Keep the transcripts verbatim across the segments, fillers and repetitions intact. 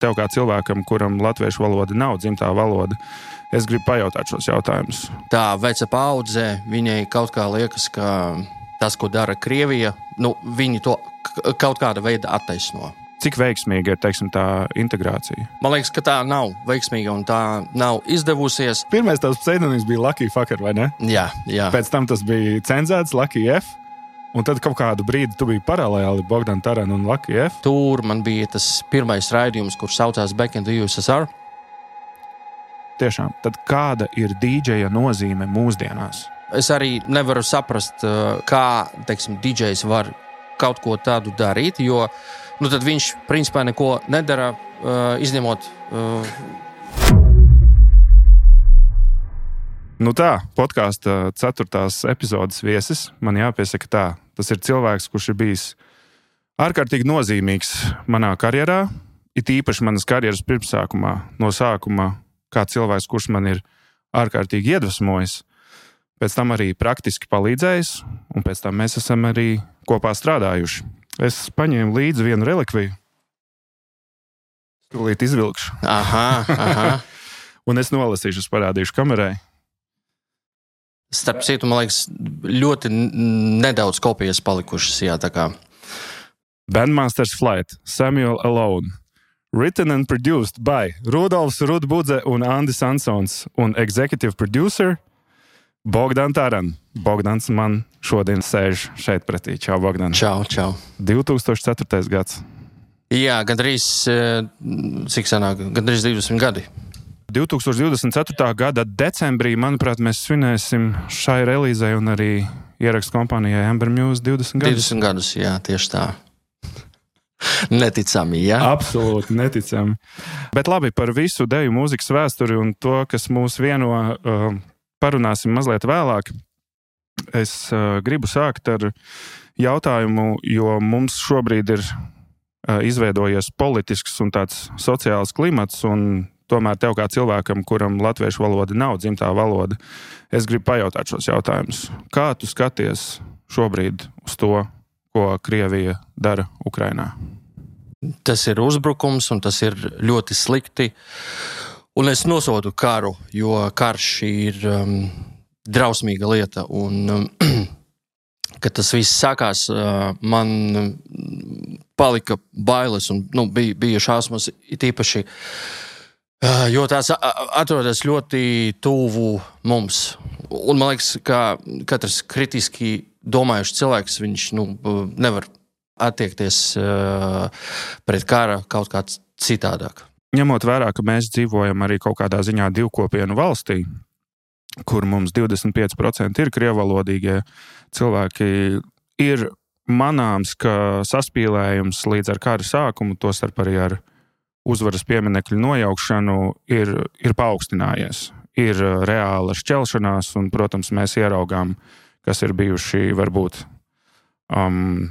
tev kā cilvēkam, kuram latviešu valoda nav dzimtā valoda, es gribu pajautāt šos jautājumus. Tā veca paudze, viņai kaut kā liekas, ka tas, ko dara Krievija, nu, viņi to kaut kāda veida attaisno. Cik veiksmīga ir, teiksim, tā integrācija? Man liekas, ka tā nav veiksmīga un tā nav izdevusies. Pirmais tavs pseidonīms bija Lucky Fucker, vai ne? Jā, jā. Pēc tam tas bija cenzēts Lucky F, un tad kaut kādu brīdi tu biji paralēli Bogdan Taran un Lucky F. Tur man bija tas pirmais raidījums, kurš saucās Back in the U S S R. Tiešām. Tad kāda ir dīdžeja nozīme mūsdienās? Es arī nevaru saprast, kā, teiksim, dīdžejs var kaut ko tādu darīt, jo nu, tad viņš principā neko nedara, uh, izņemot. Uh... Nu tā, podkāsta ceturtās epizodes viesis, man jāpiesaka tā. Tas ir cilvēks, kurš ir bijis ārkārtīgi nozīmīgs manā karjerā, it īpaši manas karjeras pirmsākumā, no sākuma kā cilvēks, kurš man ir ārkārtīgi iedvesmojis, pēc tam arī praktiski palīdzējis, un pēc tam mēs esam arī kopā strādājuši. Es paņēmu līdzi vienu relikviju. Tūlīt izvilkšu. Aha, aha. Un es nolasīšu, es parādīšu kamerai. Starp citu, man liekas, ļoti nedaudz kopijas palikušas, jā, tā kā. Bandmasters Flight, Samuel Alone. Written and produced by Rudolfs Rudbudze un Andis Ansons un executive producer Bogdan Taran. Bogdans man šodien sēž šeit pretī. Čau, Bogdan. Čau, čau. divi tūkstoši ceturtais gads. Jā, gandrīz, cik sanāk, gandrīz divdesmit gadi. divi tūkstoši divdesmit ceturtā gada decembrī, manuprāt, mēs svinēsim šai relīzei un arī ierakstu kompānijai Amber Muse divdesmit gadus. divdesmit gadus, jā, tieši tā. Neticami, jā? Absolūti neticami. Bet labi, par visu deju mūzikas vēsturi un to, kas mūs vieno, uh, parunāsim mazliet vēlāk. Es uh, gribu sākt ar jautājumu, jo mums šobrīd ir uh, izveidojies politisks un tāds sociāls klimats, un tomēr tev kā cilvēkam, kuram latviešu valoda nav dzimtā valoda, es gribu pajautāt šos jautājumus. Kā tu skaties šobrīd uz to, ko Krievija dara Ukrainā? Tas ir uzbrukums, un tas ir ļoti slikti. Un es nosodu karu, jo karš ir um, drausmīga lieta. Un, um, kad tas viss sākās, uh, man palika bailes un nu, bija, bija šausmas it īpaši, uh, jo tās atrodas ļoti tuvu mums. Un man liekas, ka katrs kritiski domājušs cilvēks, viņš nu, nevar attiekties uh, pret kara kaut kā citādāk. Ņemot vērā, ka mēs dzīvojam arī kaut kādā ziņā divkopienu valstī, kur mums divdesmit pieci procenti ir krievalodīgie cilvēki, ir manāms, ka saspīlējums līdz ar kara sākumu, tostarp arī ar uzvaras pieminekļu nojaukšanu, ir, ir paaugstinājies. Ir reāla šķelšanās, un, protams, mēs ieraugām, kas ir bijuši varbūt um,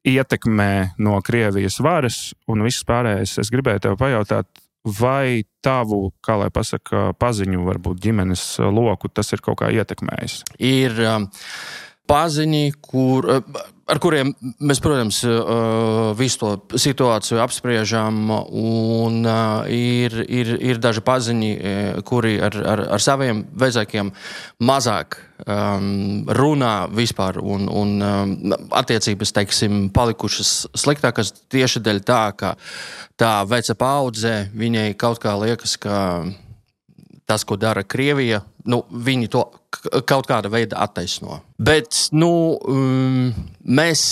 ietekmē no Krievijas varas un viss pārējais. Es gribēju tev pajautāt, vai tavu, kā lai pasaka, paziņu, varbūt ģimenes loku, tas ir kaut kā ietekmējis? Ir um, paziņi, kur, ar kuriem mēs, protams, visu to situāciju apspriežam, un ir, ir, ir daži paziņi, kuri ar, ar, ar saviem vecākiem mazāk um, runā vispār, un, un um, attiecības, teiksim, palikušas sliktākas tieši dēļ tā, ka tā veca paudze, viņai kaut kā liekas, ka tas, ko dara Krievija, nu, viņi to kaut kāda veida attaisno. Bet, nu, um, mēs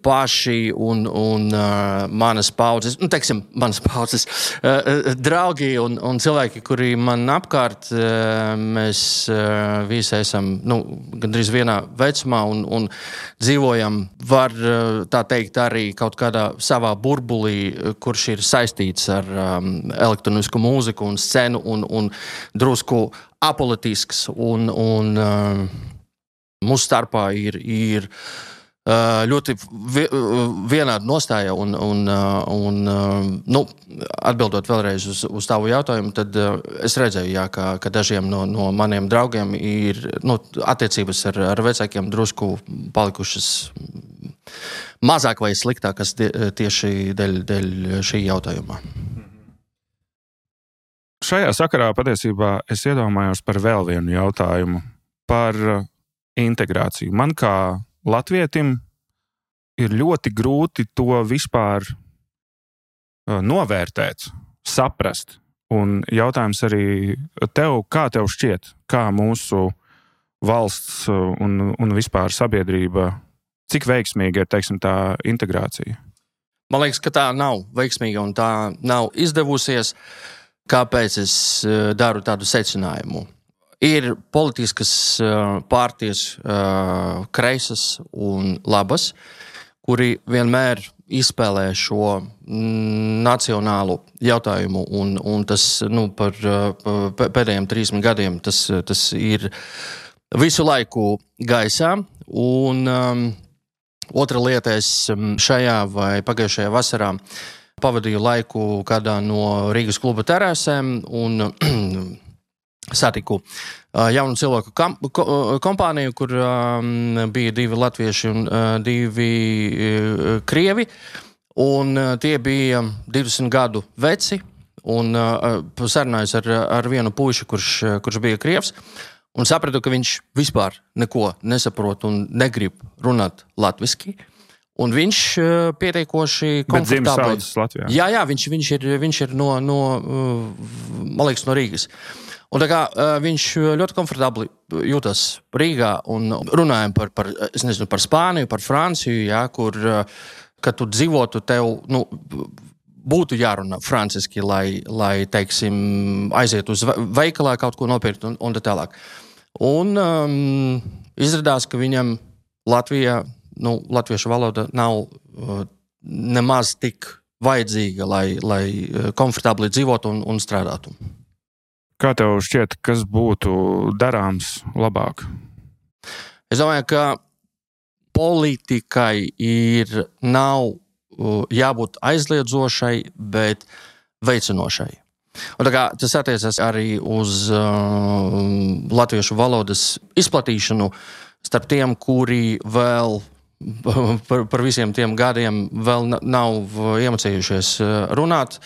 paši un, un uh, manas paudzes, nu, teiksim, manas paudzes uh, draugi un, un cilvēki, kuri man apkārt, uh, mēs uh, visi esam, nu, gandrīz vienā vecumā un, un dzīvojam, var uh, tā teikt, arī kaut kādā savā burbulī, kurš ir saistīts ar um, elektronisku mūziku un scenu un, un drusku apolitisks, un, un uh, mūsu starpā ir, ir uh, ļoti vi, vienāda nostāja, un, un, uh, un uh, nu, atbildot vēlreiz uz, uz tavu jautājumu, tad uh, es redzēju, jā, ka, ka dažiem no, no maniem draugiem ir nu, attiecības ar, ar vecākiem drusku palikušas mazāk vai sliktākas tieši dēļ, dēļ šī jautājuma. šajā sakarā patiesībā es iedomājos par vēl vienu jautājumu, par integrāciju. Man kā latvietim ir ļoti grūti to vispār novērtēt, saprast. Un jautājums arī tev, kā tev šķiet, kā mūsu valsts un, un vispār sabiedrība, cik veiksmīga ir, teiksim, tā integrācija? Man liekas, ka tā nav veiksmīga un tā nav izdevusies. Kāpēc es daru tādu secinājumu? Ir politiskas partijas, kreisas un labas, kuri vienmēr izspēlē šo nacionālu jautājumu, un, un tas nu, par pēdējiem trīsdesmit gadiem tas, tas ir visu laiku gaisā. Un um, otra lieta, es šajā vai pagājušajā vasarā pavadīju laiku kādā no Rīgas kluba terasēm un satiku jaunu cilvēku kam, ko, kompāniju, kur um, bija divi latvieši un uh, divi uh, krievi. Un uh, tie bija divdesmit gadu veci. Un uh, sarunājos ar, ar vienu puiši, kurš, kurš bija krievs. Un sapratu, ka viņš vispār neko nesaprot un negrib runāt latviski. Un viņš uh, pietiekoši komfortabli. Bet dzimis Latvijā. Jā, jā, viņš, viņš ir, viņš ir no, no, uh, man liekas, no Rīgas. Un tā kā uh, viņš ļoti komfortabli jūtas Rīgā un runājam par, par, es nezinu, par Spāniju, par Franciju, jā, kur, uh, kad tu dzīvotu, tev, nu, būtu jārunā franciski, lai, lai, teiksim, aiziet uz veikalā kaut ko nopirkt un, un tā tālāk. Un um, izrādās, ka viņam Latvijā, nu, latviešu valoda nav uh, nemaz tik vajadzīga, lai, lai komfortabli dzīvotu un, un strādātu. Kā tev šķiet, kas būtu darāms labāk? Es domāju, ka politikai ir nav jābūt aizliedzošai, bet veicinošai. Un tā kā tas attiecas arī uz uh, latviešu valodas izplatīšanu starp tiem, kuri vēl par, par visiem tiem gadiem vēl nav iemācījušies runāt.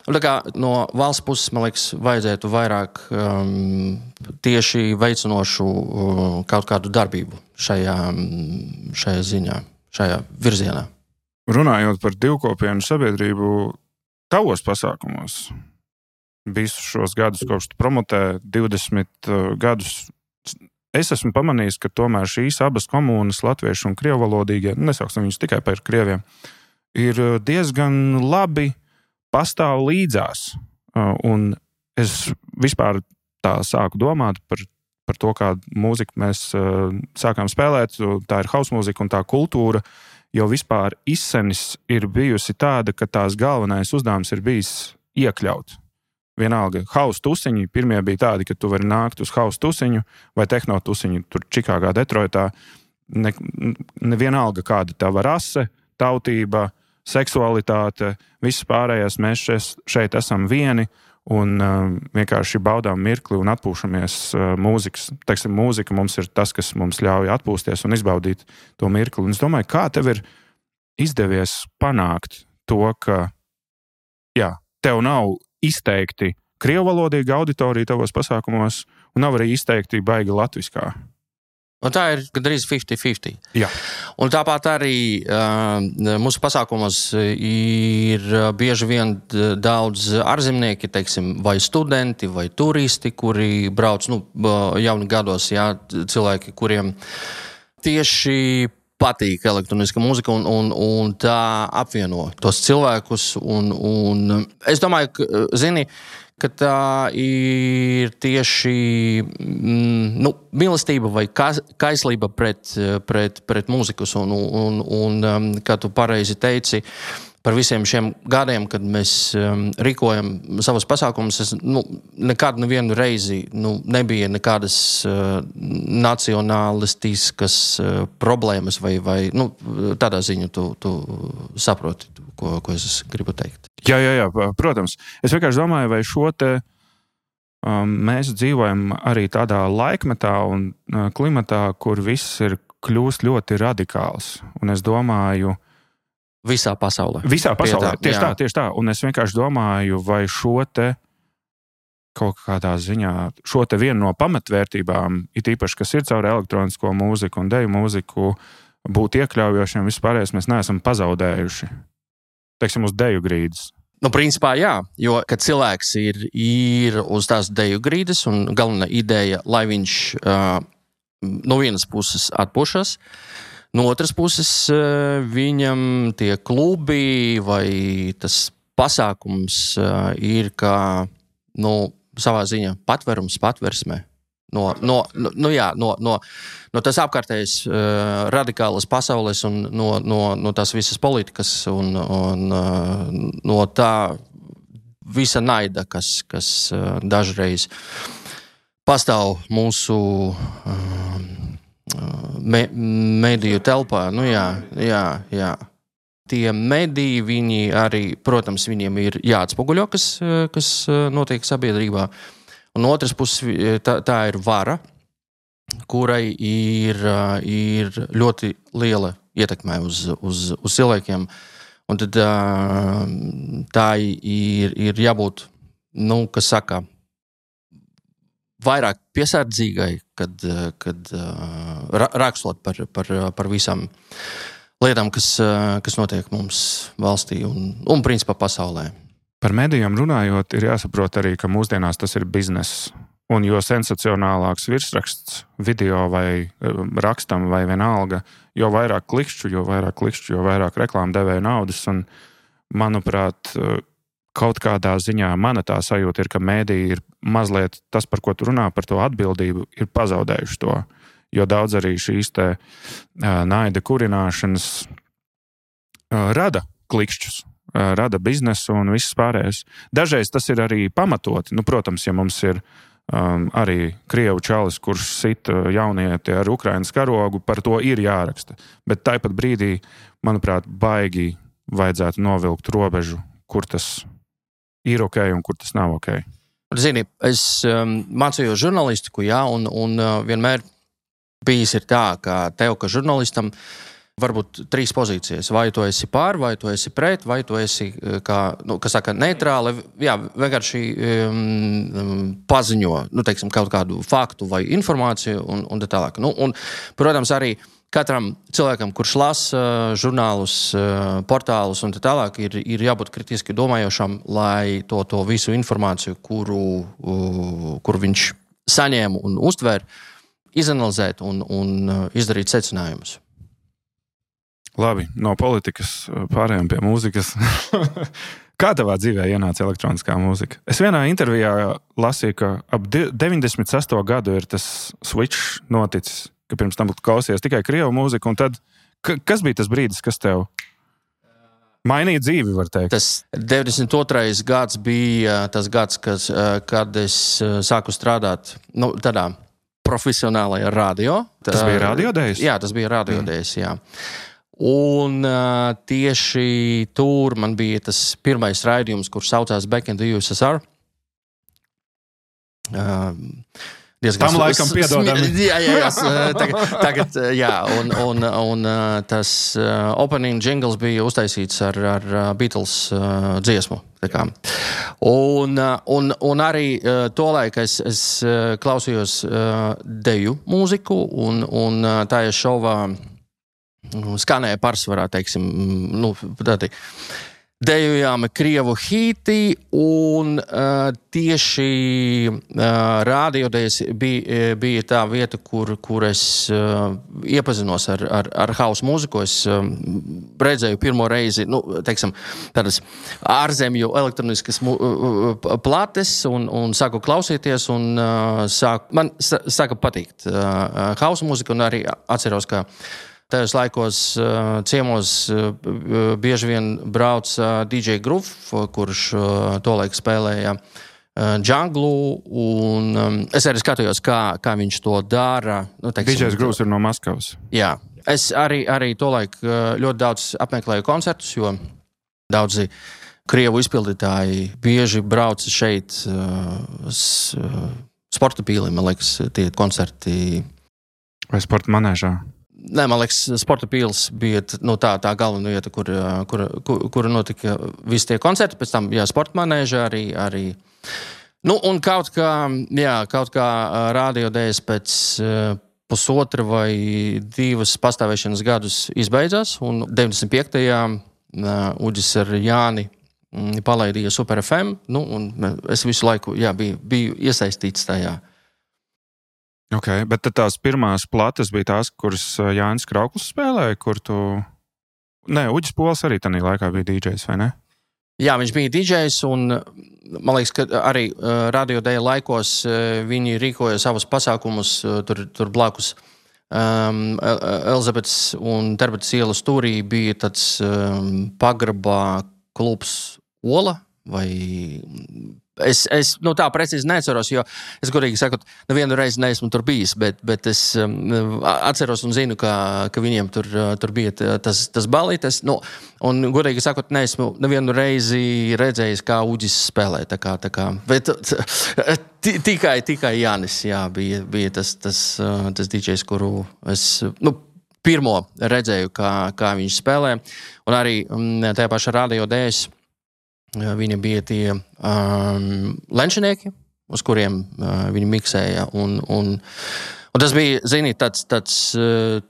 Un tā kā no valsts puses, man liekas, vajadzētu vairāk um, tieši veicinošu uh, kaut kādu darbību šajā, šajā ziņā, šajā virzienā. Runājot par divkopienu sabiedrību, tavos pasākumos visus šos gadus, kopš tu promotē divdesmit uh, gadus, es esmu pamanījis, ka tomēr šīs abas komunas, latviešu un krievvalodīgie, nesauksim viņus tikai par krieviem, ir diezgan labi pastāv līdzās. Un es vispār tā sāku domāt par, par to, kādu mūziku mēs sākām spēlēt. Tā ir house mūzika un tā kultūra jau vispār izsenis ir bijusi tāda, ka tās galvenais uzdevums ir bijis iekļaut. Vienalga, house tusiņi, pirmie bija tādi, ka tu vari nākt uz house tusiņu vai tehno tusiņu, tur Čikāgā, Detroitā. Ne, nevienalga, kāda tava rase, tautība, seksualitāte, viss pārējais, mēs šeit, šeit esam vieni un uh, vienkārši baudām mirkli un atpūšamies uh, mūzikas. Teiksim, mūzika mums ir tas, kas mums ļauj atpūsties un izbaudīt to mirkli. Un es domāju, kā tev ir izdevies panākt to, ka jā, tev nav izteikti krievvalodīga auditorija tavos pasākumos un nav arī izteikti baigi latviskā. Un tā ir gandrīz fifty fifty. Jā. Un tāpat arī uh, mūsu pasākumos ir bieži vien daudz ārzemnieki, teiksim, vai studenti, vai turisti, kuri brauc nu, jauni gados, jā, cilvēki, kuriem tieši patīk elektroniska mūzika un, un, un tā apvieno tos cilvēkus. Un, un es domāju, ka, zini, ka tā ir tieši mm, nu, mīlestība vai kaislība pret, pret, pret mūzikus. Un, un, un, kā tu pareizi teici, par visiem šiem gadiem, kad mēs um, rīkojam savus pasākumus, es nu, nekādu nevienu reizi nu, nebija nekādas uh, nacionālistiskas uh, problēmas vai, vai nu, tādā ziņā tu, tu saproti, tu, ko, ko es gribu teikt. Jā, jā, jā, protams. Es vienkārši domāju, vai šo te um, mēs dzīvojam arī tādā laikmetā un uh, klimatā, kur viss ir kļūst ļoti radikāls. Un es domāju, Visā pasaulē. Visā pasaulē, tā, tieši jā. tā, tieši tā. Un es vienkārši domāju, vai šo te kaut kādā ziņā šo te vienu no pamatvērtībām, it īpaši, kas ir caur elektronisko mūziku un deju mūziku, būt iekļaujošiem vispārējais, mēs neesam pazaudējuši. Teiksim, uz deju grīdas. Nu, principā jā, jo, kad cilvēks ir, ir uz tās deju grīdas un galvenā ideja, lai viņš uh, no vienas puses atpušas, no otras puses uh, viņam tie klubi vai tas pasākums uh, ir kā, nu, savā ziņā patverums patversmē. No, no, no, no, jā, no, no, no tas apkārtējais uh, radikālas pasaules un no, no, no tās visas politikas un, un uh, no tā visa naida, kas, kas uh, dažreiz pastāv mūsu uh, me, mediju telpā. Nu, jā, jā, jā. Tie mediji, viņi arī, protams, viņiem ir jāatspoguļo, kas, kas notiek sabiedrībā. Un no otras puses, tā, tā ir vara, kurai ir, ir ļoti liela ietekme uz, uz, uz cilvēkiem. Un tad tā ir, ir jābūt, nu, kas saka, vairāk piesardzīgai, kad, kad rakstot par, par, par visām lietām, kas, kas notiek mums valstī un, un principā pasaulē. Par medijiem runājot, ir jāsaprot arī, ka mūsdienās tas ir bizness. Un jo sensacionālāks virsraksts video vai rakstam vai vienalga, jo vairāk klikšķu, jo vairāk klikšķu, jo vairāk reklāmu devēja naudas. Un, manuprāt, kaut kādā ziņā mana tā sajūta ir, ka mediji ir mazliet tas, par ko tu runā, par to atbildību, ir pazaudējuši to. Jo daudz arī šīs te naida kurināšanas rada klikšķus. Rada biznesu un viss pārējais. Dažreiz tas ir arī pamatoti. Nu, protams, ja mums ir um, arī krievu čalis, kurš sit jaunieti ar Ukrainas karogu, par to ir jāraksta. Bet tāpat brīdī, manuprāt, baigi vajadzētu novilkt robežu, kur tas ir ok un kur tas nav ok. Zini, es um, mācījos žurnalistiku, jā, un, un uh, vienmēr bijis ir tā, ka tev, ka žurnalistam, varbūt trīs pozīcijas. Vai tu esi pār, vai tu esi pret, vai tu esi, kā, nu, kas saka, neitrāli, jā, vienkārši um, paziņo, nu, teiksim, kaut kādu faktu vai informāciju un, un tā tālāk. Nu, un, protams, arī katram cilvēkam, kurš lasa žurnālus, portālus un tā tālāk, ir, ir jābūt kritiski domājošam, lai to, to visu informāciju, kuru, kuru viņš saņēma un uztver, izanalizēt un, un izdarīt secinājumus. Labi, no politikas pārējām pie mūzikas. Kā tavā dzīvē ienāca elektroniskā mūzika? Es vienā intervijā lasīju, ka ap deviņdesmit sesto gadu ir tas switch noticis, ka pirms tam klausies tikai krievu mūziku, un tad, kas bija tas brīdis, kas tev mainīja dzīvi, var teikt? Tas deviņdesmit otrais gads bija tas gads, kas, kad es sāku strādāt, nu, tādā profesionālajā radio. Tas bija radiodējs? Jā, tas bija radiodējs, jā. Un uh, tieši tur man bija tas pirmais raidījums, kurš saucās Back in the U S S R. Uh, Tam laikam piedodami. Jā, jā, jā, tagad, tagad jā, un, un, un tas uh, opening jingles bija uztaisīts ar, ar Beatles uh, dziesmu. Tā kā. Un, un, un arī uh, tolaik es, es uh, klausījos uh, deju mūziku, un, un uh, tā ir šovā skanēja pārsvarā, teiksim, nu, tādi dejojāmi krievu hīti, un uh, tieši uh, rādiodejas bija, bija tā vieta, kur, kur es uh, iepazinos ar, ar, ar house mūziku. Es uh, redzēju pirmo reizi, nu, teiksim, tādas ārzemju elektroniskas mu, uh, plates, un, un sāku klausīties, un uh, sāku, man sāka patikt uh, house mūzika, un arī atceros, ka tajos laikos uh, ciemos uh, bieži vien brauc uh, D J Groove, kurš uh, tolaik spēlēja uh, džanglu, un um, es arī skatījos, kā, kā viņš to dara. Nu, teiksim, D J Groove ir no Maskavas. Jā. Es arī, arī tolaik uh, ļoti daudz apmeklēju koncertus, jo daudzi krievu izpildītāji bieži brauc šeit uh, s, uh, sporta pīlī, man liekas, tie koncerti. Vai sporta manēžā? Nē, man liekas, sporta pīls bija nu, tā, tā galvenā vieta, kur, kur, kur, kur notika visi tie koncerti. Pēc tam, jā, sporta manēža arī, arī Nu, un kaut kā, jā, kaut kā Radio Days pēc uh, pusotra vai divas pastāvēšanas gadus izbeidzās, un deviņdesmit piektajā uh, Uģis ar Jāni mm, palaidīja Super F M, nu, un es visu laiku jā, biju, biju iesaistīts tajā. Okay, bet tad tās pirmās plates bija tās, kuras Jānis Krauklis spēlēja, kur tu... Nē, Uģis Pols arī tajā laikā bija D Js, vai ne? Jā, viņš bija D Js, un man liekas, ka arī uh, Radio Day laikos uh, viņi rīkoja savus pasākumus uh, tur, tur blakus. Um, Elizabetes un Terbetas ielas stūrī bija tāds um, pagrabā klubs Ola, vai... Es, es nu, tā precīzi neatceros, jo es godīgi sakot, nevienu reizi neesmu tur bijis, bet, bet es um, atceros un zinu, ka, ka viņiem tur, tur bija tas, tas balītes. Nu, un godīgi sakot, neesmu nevienu reizi redzējis, kā Uģis spēlē. Tā kā, tā kā, bet t- tikai, tikai Jānis jā, bija, bija tas, tas, tas D Js, kuru es nu, pirmo redzēju, kā, kā viņš spēlē. Un arī um, tajā pašā Radio Days viņi bija tie um, lenčinieki, uz kuriem uh, viņi miksēja. Un, un, un tas bija, zini, tāds, tāds uh,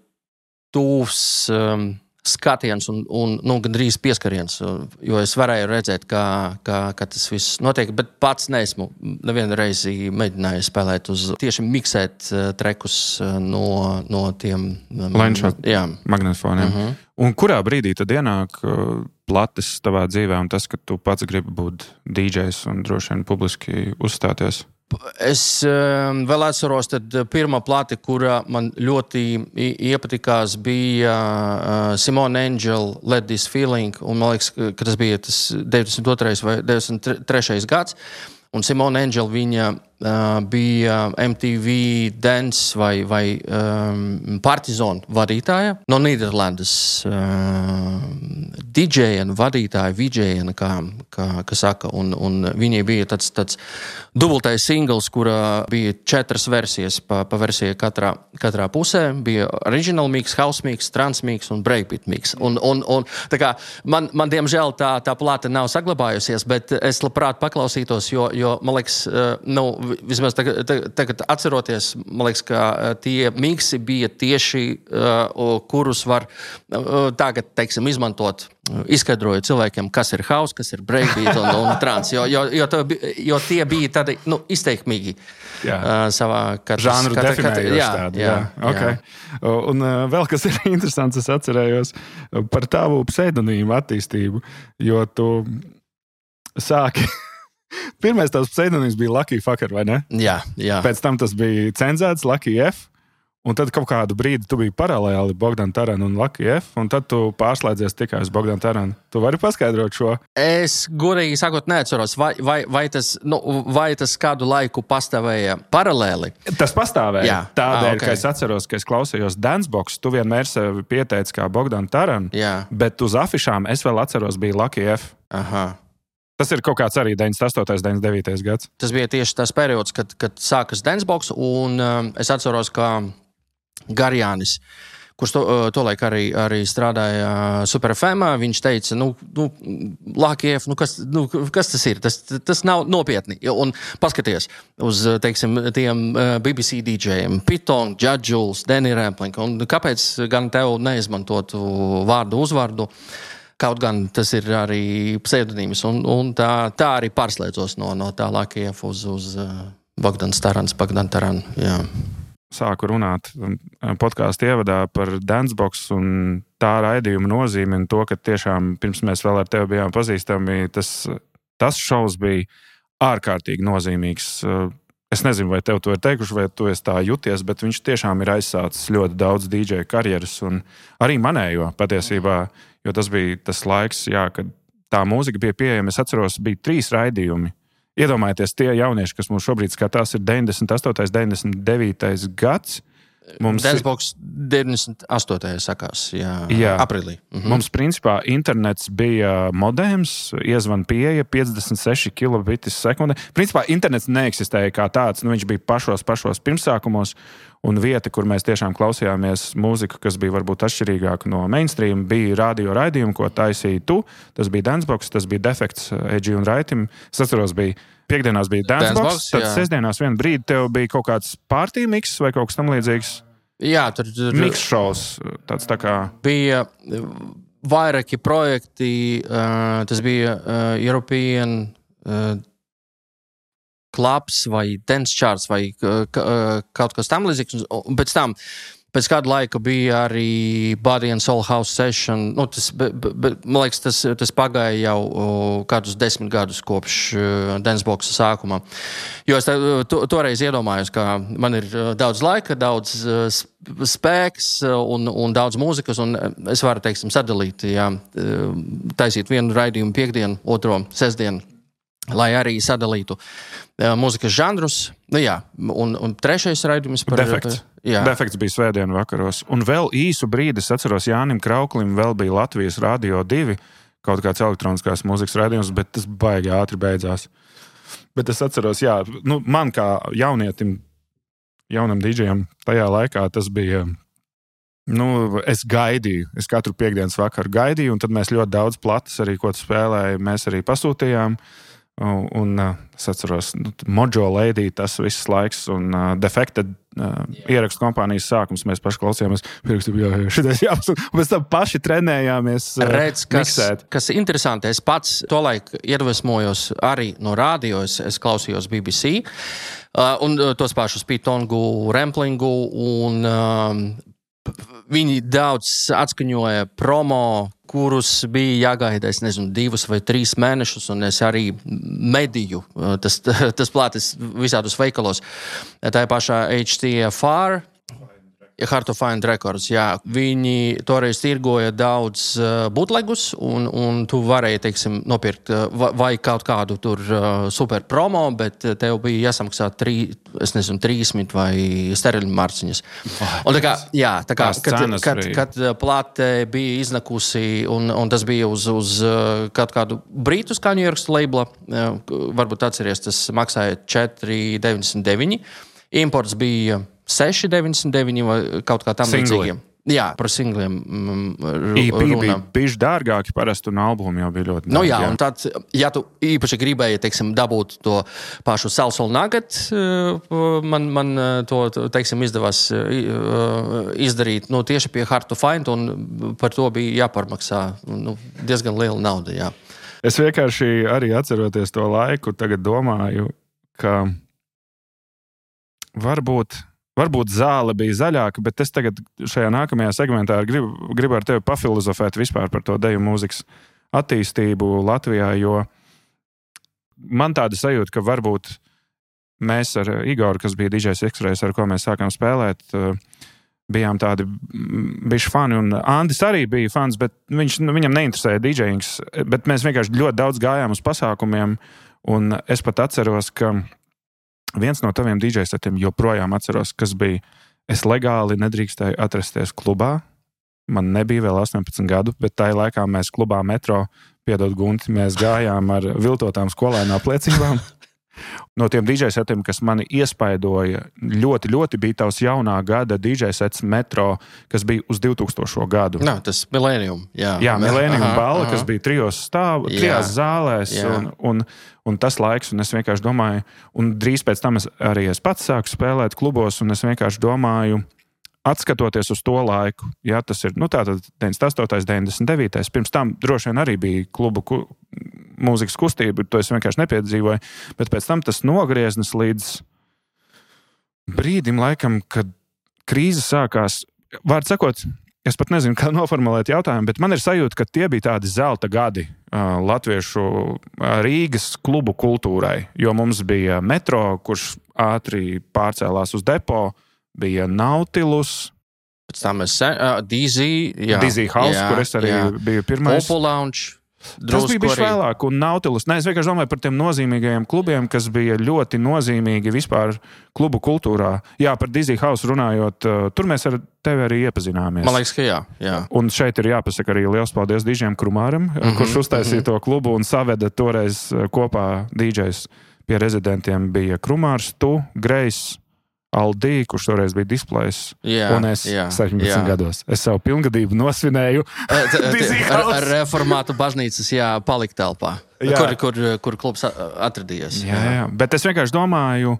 tūvs um, skatiens un, un nu, gandrīz pieskariens, jo es varēju redzēt, kā, kā, kā tas viss notiek, bet pats neesmu nevienu reizi mēģināju spēlēt uz tieši miksēt uh, trekus uh, no, no tiem um, lenča magnetofoniem. Uh-huh. Un kurā brīdī tad ienāk uh, plates tavā dzīvē un tas, ka tu pats gribi būt D Js un droši vien publiski uzstāties? Es um, vēl atceros, tad pirmā plate, kura man ļoti iepatikās, bija uh, Simone Angel Let This Feeling, un man liekas, ka tas bija tas deviņdesmit otrais vai deviņdesmit trešais gads. Un Simone Angel, viņa uh, bija M T V Dance vai, vai um, Partizan vadītāja no Nīderlandes. Uh, D J vadītāja, V J, kā, kā, kā saka. Un, un viņai bija tāds, tāds dubultais singls, kurā bija četras versijas pa, pa versiju katrā, katrā pusē. Bija original mix, house mix, trance mix un breakbeat mix. Un, un, un tā kā man, man diemžēl tā, tā plāte nav saglabājusies, bet es labprāt paklausītos, jo jo, man liekas, nu, vismaz tagad, tagad atceroties, man liekas, ka tie miksi bija tieši, uh, kurus var uh, tagad, teiksim, izmantot, izskaidrojot cilvēkiem, kas ir house, kas ir breakbeat un, un trance, jo, jo, jo, to, jo tie bija tādi, nu, izteikmīgi uh, savā katras... Žanru katra, definējoši jā, tādi. Jā, jā. Okay. jā. Un uh, vēl kas ir interesants, es atcerējos par tavu pseidonīmu attīstību, jo tu sāki... Pirmais tavs pseidonīms bija Lucky Fucker, vai ne? Jā, jā. Pēc tam tas bija cenzēts Lucky F, un tad kaut kādu brīdi tu biji paralēli Bogdan Taran un Lucky F, un tad tu pārslēdzies tikai uz Bogdan Taran. Tu vari paskaidrot šo? Es godīgi sakot neatceros, vai, vai, vai, tas, nu, vai tas kādu laiku pastāvēja paralēli? Tas pastāvēja. Jā. Tādēļ, ah, okay. ka es atceros, ka es klausījos Dancebox, tu vienmēr sevi pieteici kā Bogdan Taran, Jā. Bet uz afišām es vēl atceros bija Lucky F. Aha. Tas ir kaut kāds arī deviņdesmit astotais, deviņdesmit devītais gads. Tas bija tieši tas periods, kad, kad sākas Dancebox, un um, es atceros, ka Garjānis, kurš to, tolaik arī, arī strādāja Super F M, viņš teica, nu, nu Lucky F, nu kas, nu, kas tas ir? Tas, tas nav nopietni. Un paskaties uz, teiksim, tiem B B C D J-iem, Python, Judge, Danny Rampling, un kāpēc gan tev neizmantotu vārdu uzvārdu? Kaut gan tas ir arī pseidonīms, un, un tā, tā arī pārslēdzos no, no tā Lucky F uz, uz Bogdans Tarans, Bogdan Taran, jā. Sāku runāt podkāstu ievadā par Dancebox un tā raidījuma nozīmi un to, ka tiešām pirms mēs vēl ar tevi bijām pazīstami, tas, tas šovs bija ārkārtīgi nozīmīgs. Es nezinu, vai tev to ir teikuši, vai tu esi tā juties, bet viņš tiešām ir aizsācis ļoti daudz D J karjeras un arī manējo patiesībā, jo tas bija tas laiks, jā, kad tā mūzika bija pieejama. Es atceros, bija trīs raidījumi. Iedomājieties, tie jaunieši, kas mums šobrīd skatās, ir deviņdesmit astotais, deviņdesmit devītais gads. Mums Dancebox deviņdesmit astotajā sakās, jā, jā. Aprīlī. Mhm. Mums principā internets bija modems, iezvan pieeja piecdesmit seši kilobitis sekundē. Principā internets neeksistēja kā tāds, nu viņš bija pašos, pašos pirmsākumos, Un vieta, kur mēs tiešām klausījāmies mūziku, kas bija varbūt atšķirīgāka no mainstream, bija radio raidījumi, ko taisīja tu. Tas bija Dancebox, tas bija Defekts, Eģi un Raitim. Es atceros, bija piekdienās bija Dancebox, tad jā. Sestdienās vienu brīdi tev bija kaut kāds party mix vai kaut kas tam līdzīgs. Jā, tur... tur mix shows, tāds tā kā... Bija vairāki projekti, uh, tas bija uh, European... Uh, Clubs vai Dance Charts vai uh, kaut kas tam līdzīgs. Pēc tam, pēc kāda laika bija arī Body and Soul House Session. Nu, tas, be, be, man liekas, tas, tas pagāja jau uh, kādus desmit gadus kopš uh, Danceboxa sākuma. Jo es to, toreiz iedomājos, ka man ir uh, daudz laika, daudz uh, spēks un, un daudz mūzikas, un es varu, teiksim, sadalīt, jā, uh, taisīt vienu raidījumu piekdienu, otro sestdienu, lai arī sadalītu uh, mūzikas žanrus. Nu, jā, un, un trešais raidījums par... Defekts. Jā. Defekts bija svētdienu vakaros. Un vēl īsu brīdi, es atceros, Jānim Krauklim vēl bija Latvijas Radio divi, kaut kāds elektroniskās mūzikas raidījums, bet tas baigi ātri beidzās. Bet es atceros, jā, nu, man kā jaunietim, jaunam didžejam tajā laikā tas bija... Nu, es gaidīju, es katru piekdienas vakaru gaidīju, un tad mēs ļoti daudz platas arī, ko spēlēju, mēs arī pasūtījām. Un, un es atceros, nu, Mojo Lady, tas viss laiks, un uh, Defected uh, ierakstu kompānijas sākums, mēs paši klausījāmies, pierakstu, jā, jā, šitais jāpasūta, un pēc tam paši trenējāmies uh, Redz, kas, miksēt. Kas interesanti, es pats tolaik iedvesmojos arī no radio, es, es klausījos B B C, uh, un uh, tos pašus Pitongu, Remplingu, un um, viņi daudz atskaņoja promo, kurus bija jāgaida, es nezinu, divus vai trīs mēnešus, un es arī mediju, tas, tas plātis visādos veikalos. Tā pašā H T F R, Hard to Find Records, jā. Viņi toreiz tirgoja daudz uh, bootlegus, un, un tu varēji, teiksim, nopirkt uh, vai kaut kādu tur uh, super promo, bet tev bija jāsamaksā trī, es nezinu, trīsmit vai steriļu marciņas. Un tā kā, jā, tā kā, kad, kad, kad plāte bija iznakusi, un, un tas bija uz, uz uh, kaut kādu brītu skaņu ierakstu labela, uh, varbūt atceries, tas maksāja četri deviņdesmit deviņi. Imports bija seši deviņdesmit deviņi vai kaut kā tam līdzīgiem. Jā, par singliem mm, E P bija bišķi dārgāki parasti, un albumi jau bija ļoti dārgi. Nu jā, jā, un tad, ja tu īpaši gribēji, teiksim, dabūt to pašu Salsoul Nugget, man, man to, teiksim, izdevās izdarīt, nu, tieši pie Hard to Find, un par to bija jāparmaksā, nu, diezgan liela nauda, jā. Es vienkārši arī atceroties to laiku, tagad domāju, ka varbūt Varbūt zāle bija zaļāka, bet es tagad šajā nākamajā segmentā gribu, gribu ar tevi pafilozofēt vispār par to deju mūzikas attīstību Latvijā, jo man tāda sajūta, ka varbūt mēs ar Igoru, kas bija D Js X-Rays, ar ko mēs sākām spēlēt, bijām tādi bišķi fani, un Andis arī bija fans, bet viņš, viņam neinteresēja DJings, bet mēs vienkārši ļoti daudz gājām uz pasākumiem, un es pat atceros, ka viens no taviem D J setiem joprojām atceros, kas bija, es legāli nedrīkstēju atrasties klubā. Man nebija vēl astoņpadsmit gadu, bet tajā laikā mēs klubā Metro, piedod Gunti, mēs gājām ar viltotām skolēnu apliecībām. No tiem D J setiem, kas mani iespaidoja, ļoti, ļoti bija tavs jaunā gada D J sets Metro, kas bija uz divtūkstošo gadu. Nā, tas Millennium. Jā, jā Millennium balla, kas bija trijos stāv, trijās zālēs, un, un, un tas laiks, un es vienkārši domāju, un drīz pēc tam es arī es pats sāku spēlēt klubos, un es vienkārši domāju, atskatoties uz to laiku, jā, tas ir, nu tātad deviņdesmit astotais, deviņdesmit devītais, pirms tam droši vien arī bija klubu ku, mūzikas kustība, to es vienkārši nepiedzīvoju, bet pēc tam tas nogrieznis līdz brīdim laikam, kad krīze sākās, vārds sakot, es pat nezinu, kā noformulēt jautājumu, bet man ir sajūta, ka tie bija tādi zelta gadi uh, latviešu uh, Rīgas klubu kultūrai, jo mums bija Metro, kurš ātri pārcēlās uz depo, bija Nautilus, pēc tam es uh, Dizzy, jā, Dizzy House, jā, kur es arī jā. biju pirmais. Opal Lounge. Tas bija bišķi vēlāk, un Nautilus. Nē, es vienkārši domāju par tiem nozīmīgajiem klubiem, kas bija ļoti nozīmīgi vispār klubu kultūrā. Jā, par Dizzy House runājot, tur mēs ar tevi arī iepazināmies. Man liekas, ka jā. jā. Un šeit ir jāpasaka arī liels paldies Dižiem Krumāram, mm-hmm, kurš uztaisīja mm-hmm. to klubu un saveda toreiz kopā D Js pie rezidentiem bija Krumārs, tu, Grejs, Aldī, kurš toreiz bija displejs, jā, un es jā, septiņpadsmit jā. gados. Es savu pilngadību nosvinēju ar, ar reformātu baznīcas, jā, paliktelpā, kur, kur, kur klubs atradījies. Jā, jā, bet es vienkārši domāju,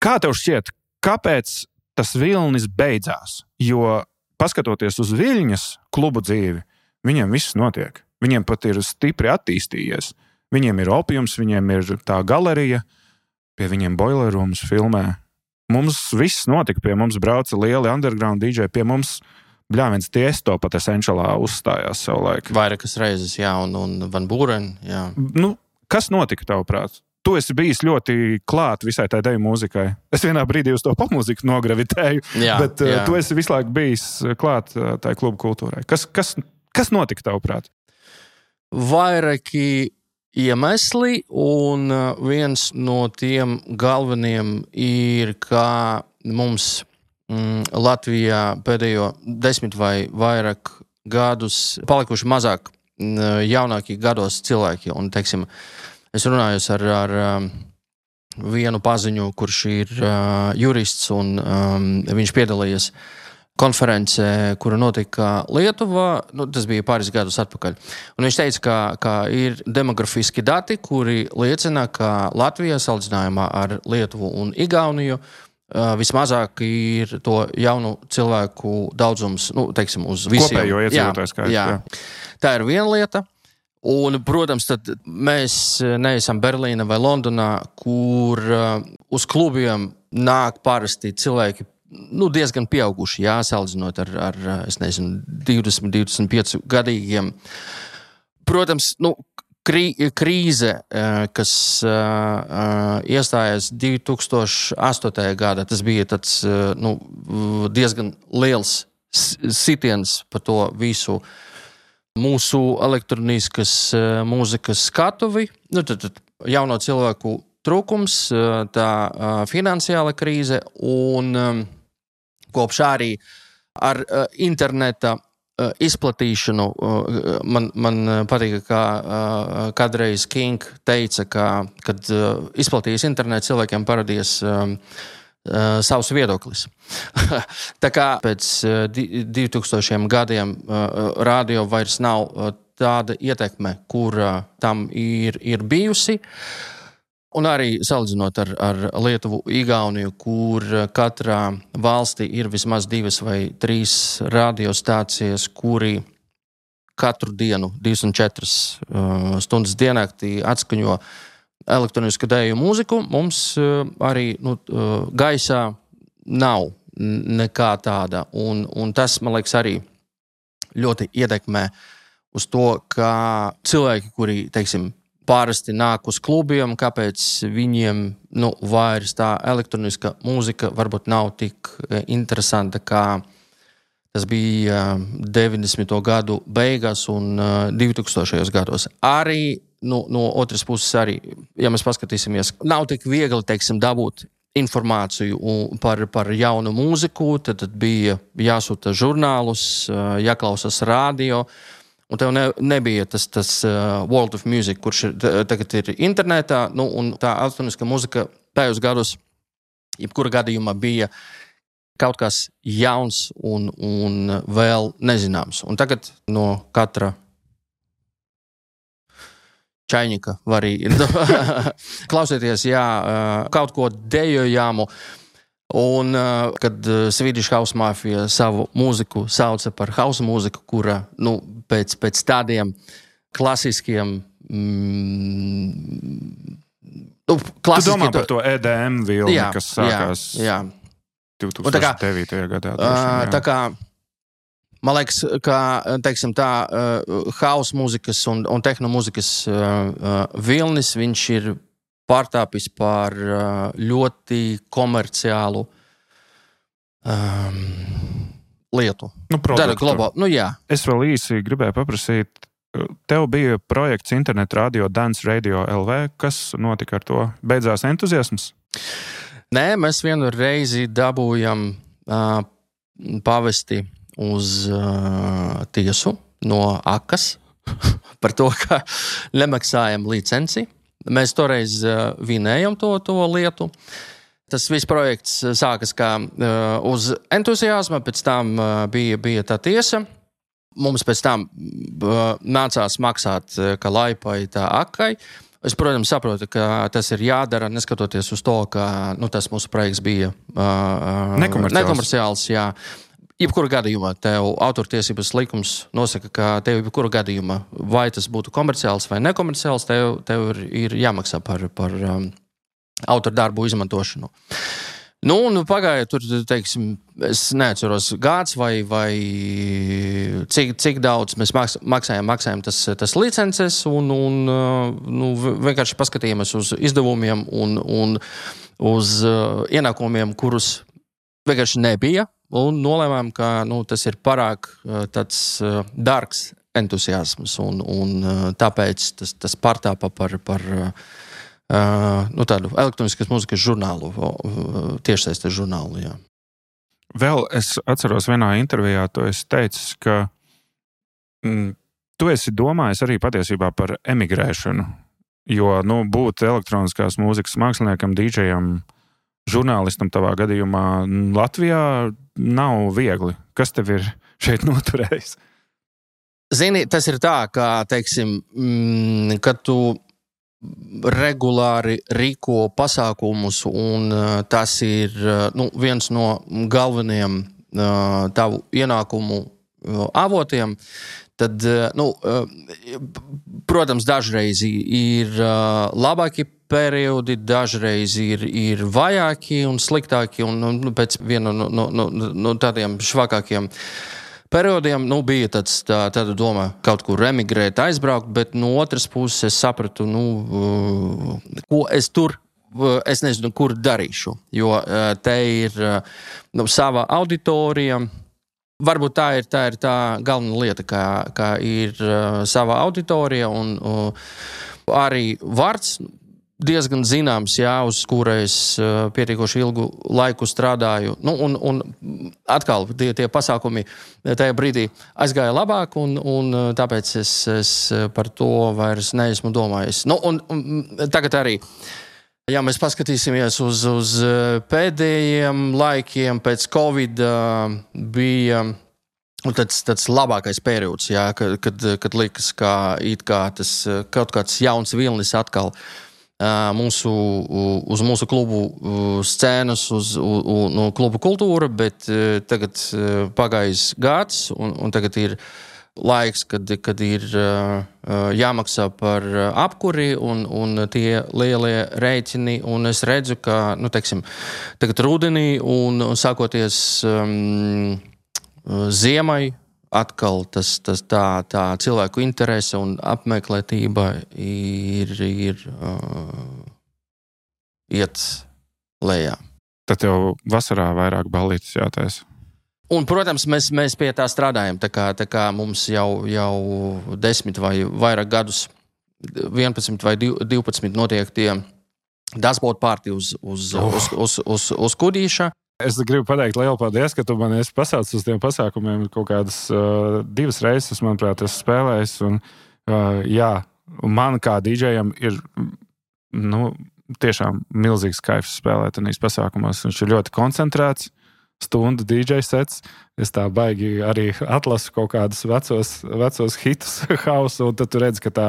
kā tev šķiet, kāpēc tas vilnis beidzās? Jo, paskatoties uz Viļņas klubu dzīvi, viņiem viss notiek. Viņiem pat ir stipri attīstījies. Viņiem ir opiums, viņiem ir tā galerija, pie viņiem boiler rooms filmē. Mums viss notika, pie mums brauca lieli underground D J, pie mums, bļāviens, Tiesto pat Essentialā uzstājās savulaik. Vairākas reizes, jā, un, un Van Buren, jā. Nu, kas notika, tavuprāt? Tu esi bijis ļoti klāt visai tai deju mūzikai. Es vienā brīdī uz to popmūziku nogravitēju, jā, bet jā. Uh, tu esi visu laiku bijis klāt uh, tai klubu kultūrai. Kas, kas, kas notika, tavuprāt? Vairāki iemesli, un viens no tiem galveniem ir, ka mums mm, Latvijā pēdējo desmit vai vairāk gadus palikuši mazāk mm, jaunākie gados cilvēki. Un, teiksim, es runāju ar, ar vienu paziņu, kurš ir uh, jurists, un um, viņš piedalījies konferencē, kura notika Lietuvā, nu, tas bija pāris gadus atpakaļ. Un viņš teica, ka, ka ir demografiski dati, kuri liecina, ka Latvijā salīdzinājumā ar Lietuvu un Igauniju uh, vismazāk ir to jaunu cilvēku daudzums, nu, teiksim, uz visiem. Kopējo iedzīvotāju skaits. Jā, jā. Tā ir viena lieta. Un, protams, tad mēs neesam Berlīna vai Londonā, kur uh, uz klubiem nāk parasti cilvēki, nu, diezgan pieauguši, jā, salīdzinot ar, ar, es nezinu, divdesmit, divdesmit pieci gadīgiem. Protams, nu, krī, krīze, kas uh, iestājās divi tūkstoši astotajā gadā, tas bija tāds, nu, diezgan liels sitiens par to visu mūsu elektroniskas mūzikas skatuvi. Nu, tad, tad jauno cilvēku trūkums, tā finansiāla krīze un um, kopš arī ar uh, interneta uh, izplatīšanu uh, man, man patīk, kā uh, kādreiz King teica, ka, kad uh, izplatījis internetu, cilvēkiem parādījās um, uh, savs viedoklis. Tā kā pēc uh, divi tūkstošiem gadiem uh, radio vairs nav uh, tāda ietekme, kur uh, tam ir, ir bijusi. Un arī salīdzinot ar, ar Lietuvu, Igauniju, kur katrā valstī ir vismaz divas vai trīs radiostācijas, kuri katru dienu, divdesmit četras uh, stundas diennaktī atskaņo elektronisku dēju mūziku, mums uh, arī nu, uh, gaisā nav nekā tāda. Un, un tas, man liekas, arī ļoti ietekmē uz to, ka cilvēki, kuri, teiksim, pārasti nāk uz klubiem, kāpēc viņiem nu, vairs tā elektroniska mūzika varbūt nav tik interesanta, kā tas bija deviņdesmito gadu beigās un divtūkstošajos gados. Arī nu, no otras puses, arī, ja mēs paskatīsimies, nav tik viegli, teiksim, dabūt informāciju par, par jaunu mūziku, tad, tad bija jāsūta žurnālus, jāklausās radio. Un tev ne, nebija tas, tas uh, World of Music, kurš ir, tagad ir internetā, nu, un tā elektroniska muzika tajos gados, jebkura gadījumā bija kaut kas jauns un, un vēl nezināms. Un tagad no katra čaiņika var arī klausieties, jā, kaut ko dejojamu. Un, kad Swedish House Mafia savu mūziku sauca par house mūziku, kura nu, pēc, pēc tādiem klasiskiem... Mm, nu, klasiski, tu domā par to E D M vilni, jā, kas sākās jā, jā. divtūkstoš devītajā gadā. Uh, tā kā, man liekas, ka, teiksim tā, uh, house mūzikas un, un tehno mūzikas uh, uh, vilnis, viņš ir pārtāpis par uh, ļoti komerciālu um, lietu. Nu, Tāda globāla, nu jā. Es vēl īsi gribēju paprasīt, tev bija projekts internet radio Dance Radio L V, kas notika ar to? Beidzās entuziasms? Nē, mēs vienu reizi dabūjam uh, pavesti uz uh, tiesu no Akas par to, ka nemaksājam licenci. Mēs toreiz uh, vinējam to, to lietu. Tas viss projekts sākas kā uh, uz entuziasma, pēc tam uh, bija, bija tā tiesa. Mums pēc tam uh, nācās maksāt uh, kā laipai tā akai. Es, protams, saprotu, ka tas ir jādara, neskatoties uz to, ka nu, tas mūsu projekts bija uh, nekomerciāls. nekomerciāls jā. Jebkura gadījumā tev autortiesības likums nosaka, ka tev jebkura gadījumā, vai tas būtu komerciāls vai nekomerciāls, tev, tev ir, ir jāmaksā par, par um, autordarbu izmantošanu. Nu, un pagāja tur, teiksim, es neatceros gads vai, vai cik, cik daudz mēs maks, maksājam, maksājam tas, tas licences un, un nu, vienkārši paskatījāmies uz izdevumiem un, un uz uh, ienākumiem, kurus vienkārši nebija un nolēmām, ka nu, tas ir pārāk uh, tāds uh, dārgs entuziasms un, un uh, tāpēc tas, tas pārtāpa par, par uh, Uh, nu, tādu elektroniskas mūzikas žurnālu, uh, tiešsaistes žurnālu. Jā. Vēl es atceros vienā intervijā, tu esi teicis, ka mm, tu esi domājis arī patiesībā par emigrēšanu, jo nu, būt elektroniskās mūzikas māksliniekam, dīdžejam, žurnālistam tavā gadījumā Latvijā nav viegli. Kas tev ir šeit noturējis? Zini, tas ir tā, ka, teiksim, mm, kad tu regulāri rīko pasākumus, un uh, tas ir uh, nu, viens no galvenajiem uh, tavu ienākumu uh, avotiem, tad, uh, nu, uh, protams, dažreiz ir uh, labāki periodi, dažreiz ir, ir vajāki un sliktāki, un nu, pēc viena no, no, no, no tādiem švakākiem periodiem nu, bija tāds, tā, tāda doma kaut kur emigrēt, aizbraukt, bet no otras puses es sapratu, nu, uh, ko es tur, uh, es nezinu, kur darīšu, jo uh, te ir uh, nu, sava auditorija. Varbūt tā ir tā, ir tā galvenā lieta, kā, kā ir uh, sava auditorija un uh, arī vārds diezgan zināms, jā, uz kura es uh, pietiekoši ilgu laiku strādāju. Nu, un, un atkal tie, tie pasākumi tajā brīdī aizgāja labāk, un, un tāpēc es, es par to vairs neesmu domājis. Nu, un, un tagad arī, ja mēs paskatīsimies uz, uz pēdējiem laikiem, pēc Covid uh, bija tāds, tāds labākais periods, jā, kad, kad, kad likas, kā, it kā tas kaut kāds jauns vilnis atkal Mūsu, uz mūsu klubu scēnas, uz, uz no klubu kultūra, bet tagad pagājis gads, un, un tagad ir laiks, kad, kad ir jāmaksā par apkuri un, un tie lielie rēķini, un es redzu, ka, nu, teiksim, tagad rudenī un, un sākoties um, ziemai, atkal tas, tas tā, tā cilvēku interese un apmeklētība ir, ir uh, iet lejā. Tad tev vasarā vairāk ballītes jātaisa. Un, protams, mēs, mēs pie tā strādājam. Tā kā, tā kā mums jau, jau desmit vai vairāk gadus, vienpadsmit vai divpadsmit notiek tie dashboard party uz, uz, oh. uz, uz, uz, uz Kudīša. Es gribu pateikt lielu paldies, ka tu man esi pasaucis uz tiem pasākumiem kaut kādas uh, divas reizes, manuprāt, esmu spēlējis. Un, uh, jā, man kā dīdžejam ir nu, tiešām milzīgs kaifs spēlēt tajos pasākumos. Viņš ir ļoti koncentrēts, stundu dīdžej sets. Es tā baigi arī atlasu kaut kādus vecos, vecos hitus hausu, un tad tu redzi, ka tā,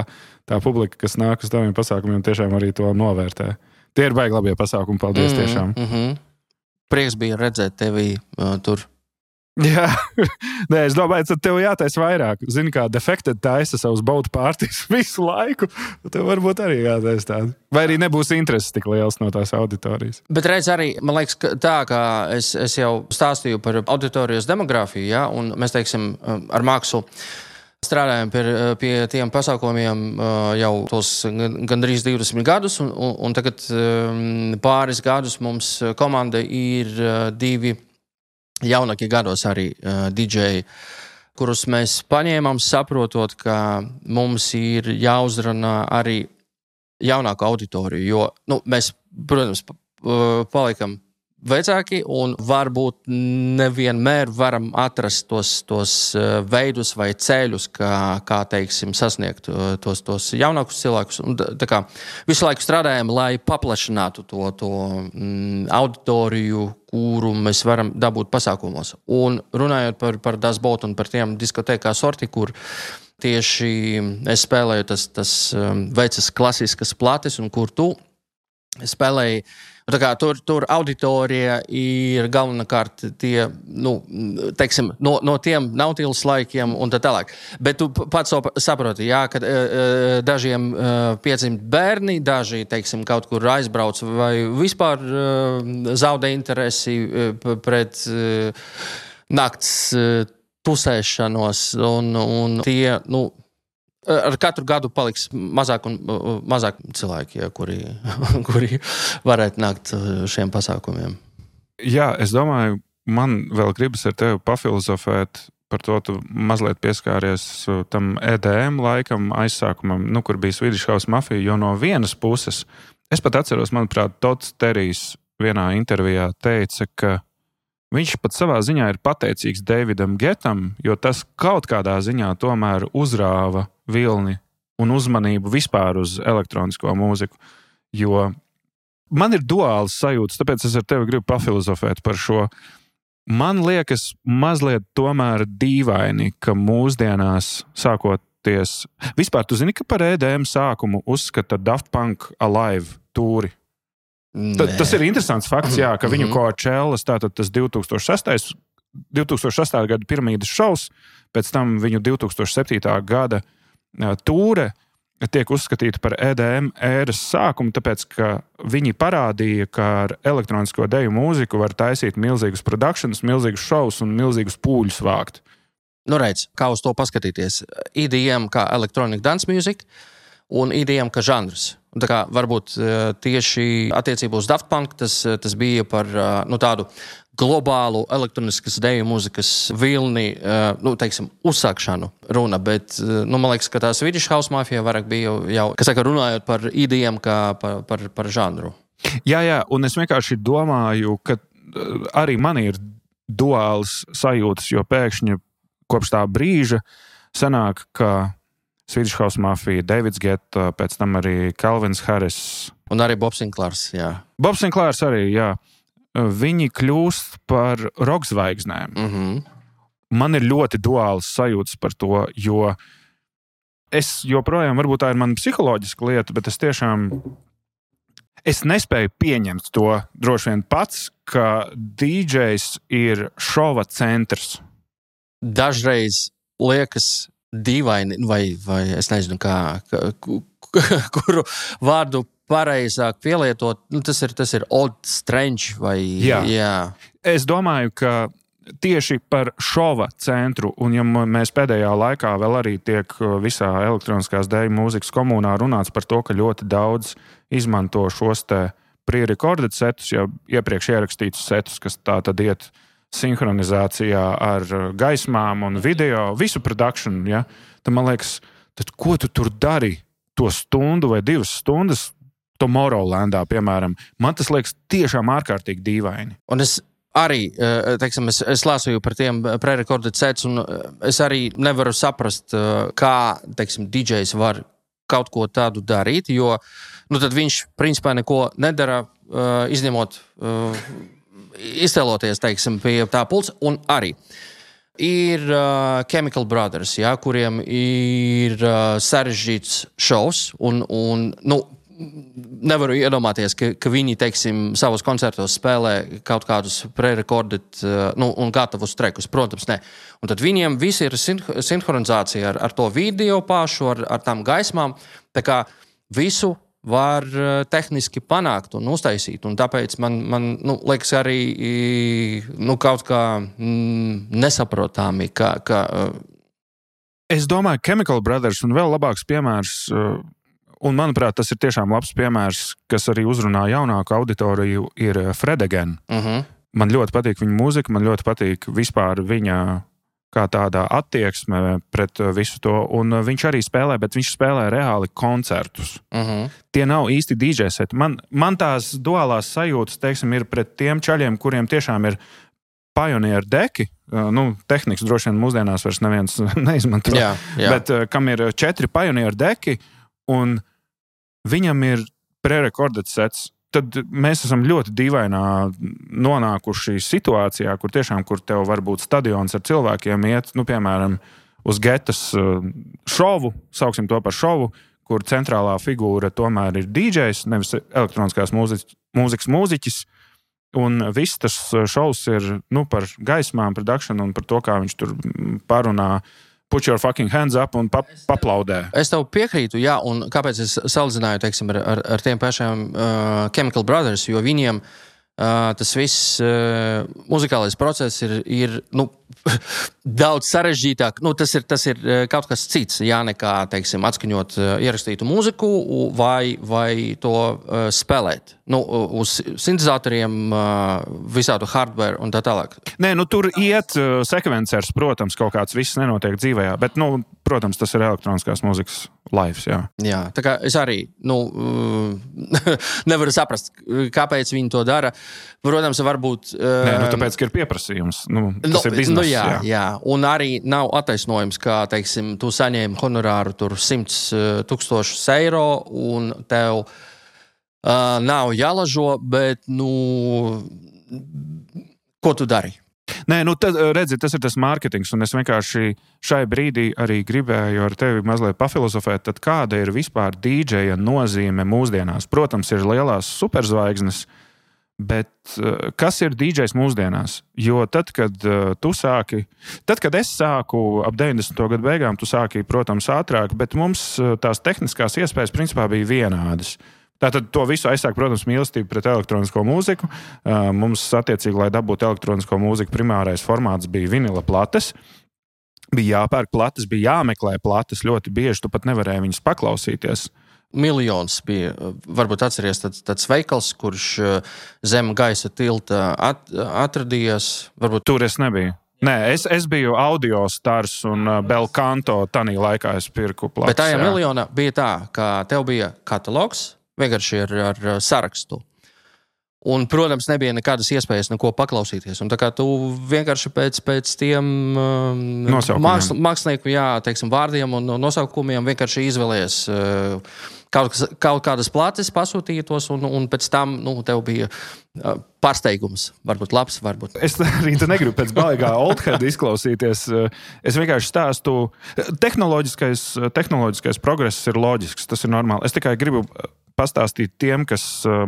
tā publika, kas nāk uz taviem pasākumiem, tiešām arī to novērtē. Tie ir baigi labie pasākumi, paldies mm-hmm, tiešām. Mm-hmm. Prieks bija redzēt tevi uh, tur. Jā, nē, es domāju, ka tev jātaisa vairāk. Zini, kā Defected taisa savus baudu pārtīs visu laiku, tev varbūt arī jātaisa tādu. Vai arī nebūs intereses tik liels no tās auditorijas. Bet redz arī, man liekas, tā, kā es, es jau stāstīju par auditorijas demogrāfiju, ja, un mēs, teiksim, ar Maksu strādājam pie, pie tiem pasākumiem jau tos gandrīz divdesmit gadus, un, un, un tagad pāris gadus mums komanda ir divi jaunākie gados arī didžeji, kurus mēs paņēmām saprotot, ka mums ir jāuzrunā arī jaunāku auditoriju, jo nu, mēs, protams, palikam vecāki, un varbūt nevienmēr varam atrast tos, tos veidus vai ceļus, kā, kā teiksim, sasniegt tos, tos jaunākus cilvēkus. Un, tā kā visu laiku strādājam, lai paplašinātu to, to mm, auditoriju, kuru mēs varam dabūt pasākumos. Un runājot par, par Das Boat un par tiem diskotēkā sorti, kur tieši es spēlēju tas, tas vecas klasiskas plates, un kur tu spēlēji. Tā kā tur, tur auditorija ir galvenokārt tie, nu, teiksim, no, no tiem nautīlas laikiem un tā tālāk. Bet tu pats saproti, jā, ka uh, dažiem uh, piedzimst bērni, daži, teiksim, kaut kur aizbrauc vai vispār uh, zaudē interesi uh, pret uh, nakts uh, tusēšanos un, un tie, nu, ar katru gadu paliks mazāk un mazāk cilvēki, ja, kuri, kuri varētu nākt šiem pasākumiem. Jā, es domāju, man vēl gribas ar tevi pafilozofēt par to, tu mazliet pieskāries tam E D M laikam, aizsākumam, nu, kur bija Swedish House Mafia, jo no vienas puses, es pat atceros, manuprāt, Tots Terijs vienā intervijā teica, ka viņš pat savā ziņā ir pateicīgs Davidam Getam, jo tas kaut kādā ziņā tomēr uzrāva vilni un uzmanību vispār uz elektronisko mūziku. Jo man ir duāls sajūtas, tāpēc es ar tevi gribu pafilozofēt par šo. Man liekas mazliet tomēr dīvaini, ka mūsdienās sākoties... Vispār, tu zini, ka par E D M sākumu uzskata Daft Punk Alive tūri? Ta, tas ir interesants fakts, jā, ka viņu Coachellas, tātad tas divi tūkstoši sestā gada piramīdas šovs, pēc tam viņu divi tūkstoši septītā gada tūre tiek uzskatīta par E D M ēras sākumu, tāpēc, ka viņi parādīja, ka ar elektronisko deju mūziku var taisīt milzīgus productions, milzīgus šovus un milzīgus pūļus vākt. Nu, redz, kā uz to paskatīties. E D M kā Electronic Dance Music un E D M kā žanrs. Tā kā varbūt tieši attiecībā uz Daft Punk tas, tas bija par nu, tādu globālu elektroniskas deju mūzikas vilni, nu, teiksim, uzsākšanu runa, bet, nu, man liekas, ka tā Swedish House Mafia vairāk bija jau, kas saka, runājot par E D M kā par, par, par žanru. Jā, jā, un es vienkārši domāju, ka arī man ir duāls sajūtas, jo pēkšņi kopš tā brīža sanāk, ka Swedish House Mafia, Davids Getta, pēc tam arī Calvins Harris. Un arī Bobs Sinclairs, jā. Bobs Sinclairs arī, jā. Viņi kļūst par rockzvaigznēm. Mm-hmm. Man ir ļoti duāls sajūtas par to, jo es joprojām, varbūt tā ir mana psiholoģiska lieta, bet es tiešām, es nespēju pieņemt to droši vien pats, ka D Js ir šova centrs. Dažreiz liekas dīvaini, vai, vai es nezinu, kā, kā, kuru vārdu pareizāk pielietot, nu, tas ir, tas ir odd, strange, vai, jā. jā. Es domāju, ka tieši par šova centru, un ja mēs pēdējā laikā vēl arī tiek visā elektroniskās deju mūzikas komunā runāts par to, ka ļoti daudz izmanto šos te pre-recorded setus, jau iepriekš ierakstītus setus, kas tā tad iet sinhronizācijā ar gaismām un video, visu production, ja? Tad man liekas, tad ko tu tur dari to stundu vai divas stundas Tomorrowlandā, piemēram? Man tas liekas tiešām ārkārtīgi dīvaini. Un es arī, teiksim, es, es lāsoju par tiem pre-recorded sets, un es arī nevaru saprast, kā, teiksim, D Js var kaut ko tādu darīt, jo, nu, tad viņš, principā, neko nedara, izņemot iztēloties, teiksim, pie tā pulca, un arī ir uh, Chemical Brothers, jā, kuriem ir uh, sarežģīts šovs, un, un nu, nevaru iedomāties, ka, ka viņi, teiksim, savos koncertos spēlē kaut kādus pre-recorded uh, nu, un gatavus trekus, protams, ne. Un tad viņiem visi ir sinhronizācija ar, ar to video pašu, ar, ar tām gaismām, tā kā visu var tehniski panākt un uztaisīt, un tāpēc man, man nu, liekas arī nu, kaut kā mm, nesaprotāmi, ka, ka... Es domāju, Chemical Brothers un vēl labāks piemērs, un manuprāt, tas ir tiešām labs piemērs, kas arī uzrunā jaunāku auditoriju, ir Fred Again. Uh-huh. Man ļoti patīk viņa mūzika, man ļoti patīk vispār viņa kā tādā attieksme pret visu to, un viņš arī spēlē, bet viņš spēlē reāli koncertus. Uh-huh. Tie nav īsti dī džej seti. Man, man tās duālās sajūtas, teiksim, ir pret tiem čaļiem, kuriem tiešām ir pionieru deki, nu, tehnikas droši vien mūsdienās vairs neviens neizmanto, jā, jā. bet kam ir četri pionieru deki, un viņam ir prerekordēts sets. Tad mēs esam ļoti dīvainā nonākuši situācijā, kur tiešām, kur tev var būt stadions ar cilvēkiem iet, nu, piemēram, uz getas šovu, sauksim to par šovu, kur centrālā figūra tomēr ir dī džejs, nevis elektroniskās mūzikas, mūzikas mūziķis, un viss tas šovs ir, nu, par gaismām, production un par to, kā viņš tur parunā, put your fucking hands up un pap, paplaudē. Es tev piekrītu, jā, un kāpēc es salīdzināju, teiksim, ar, ar, ar tiem pašiem uh, Chemical Brothers, jo viņiem uh, tas viss uh, muzikālais process ir, ir nu, daudz sarežģītāk. Nu, tas ir, tas ir kaut kas cits, jā, nekā, teiksim, atskaņot uh, ierakstītu mūziku vai, vai to uh, spēlēt. Nu, uz sintezatoriem, uh, visādu hardware un tā tālāk. Nē, nu tur iet uh, sekvencers, protams, kaut kāds viss nenotiek dzīvējā, bet, nu, protams, tas ir elektroniskās mūzikas lives, jā. Jā, tā kā es arī, nu, uh, nevaru saprast, kāpēc viņi to dara. Protams, varbūt... Uh, Nē, nu, tāpēc, ka ir pieprasījums. Nu, tas no, ir bizness, nu, jā, jā. jā. Un arī nav attaisnojums, kā, teiksim, tu saņēmi honorāru tur simts tūkstošus eiro un tev uh, nav jālažo, bet, nu, ko tu dari? Nē, nu, tad, redzi, tas ir tas mārketings, un es vienkārši šai brīdī arī gribēju ar tevi mazliet pafilozofēt, tad kāda ir vispār dī džeja nozīme mūsdienās? Protams, ir lielās superzvaigznes, bet kas ir dī džejs mūsdienās? Jo tad, kad tu sāki, tad, kad es sāku ap deviņdesmito gadu beigām, tu sāki, protams, ātrāk, bet mums tās tehniskās iespējas principā bija vienādas. Tātad to visu aizsāk, protams, mīlestību pret elektronisko mūziku. Mums, attiecīgi, lai dabūtu elektronisko mūziku, primārais formāts bija vinila plates. Bija jāpērk plates, bija jāmeklē plates ļoti bieži, tu pat nevarēji viņas paklausīties. Miljons bija, varbūt atceries tāds, tāds veikals, kurš zem gaisa tilta at, atradījās. Varbūt... Tur es nebiju. Nē, es, es biju Audio Stars un Belcanto, tanī laikā es pirku plates. Bet tajā jā. miljonā bija tā, ka tev bija katalogs, vienkārši ar, ar sarakstu. Un, protams, nebija nekādas iespējas neko paklausīties. Un tā kā tu vienkārši pēc, pēc tiem um, māksl, mākslinieku, jā, teiksim, vārdiem un nosaukumiem vienkārši izvēlies uh, kaut, kaut kādas plates, pasūtītos, un, un pēc tam, nu, tev bija uh, pārsteigums. Varbūt labs, varbūt. Es arī negribu pēc baigā oldhead izklausīties. Es vienkārši stāstu. Tehnoloģiskais, tehnoloģiskais progress ir loģisks, tas ir normāli. Es tikai gribu pastāstīt tiem, kas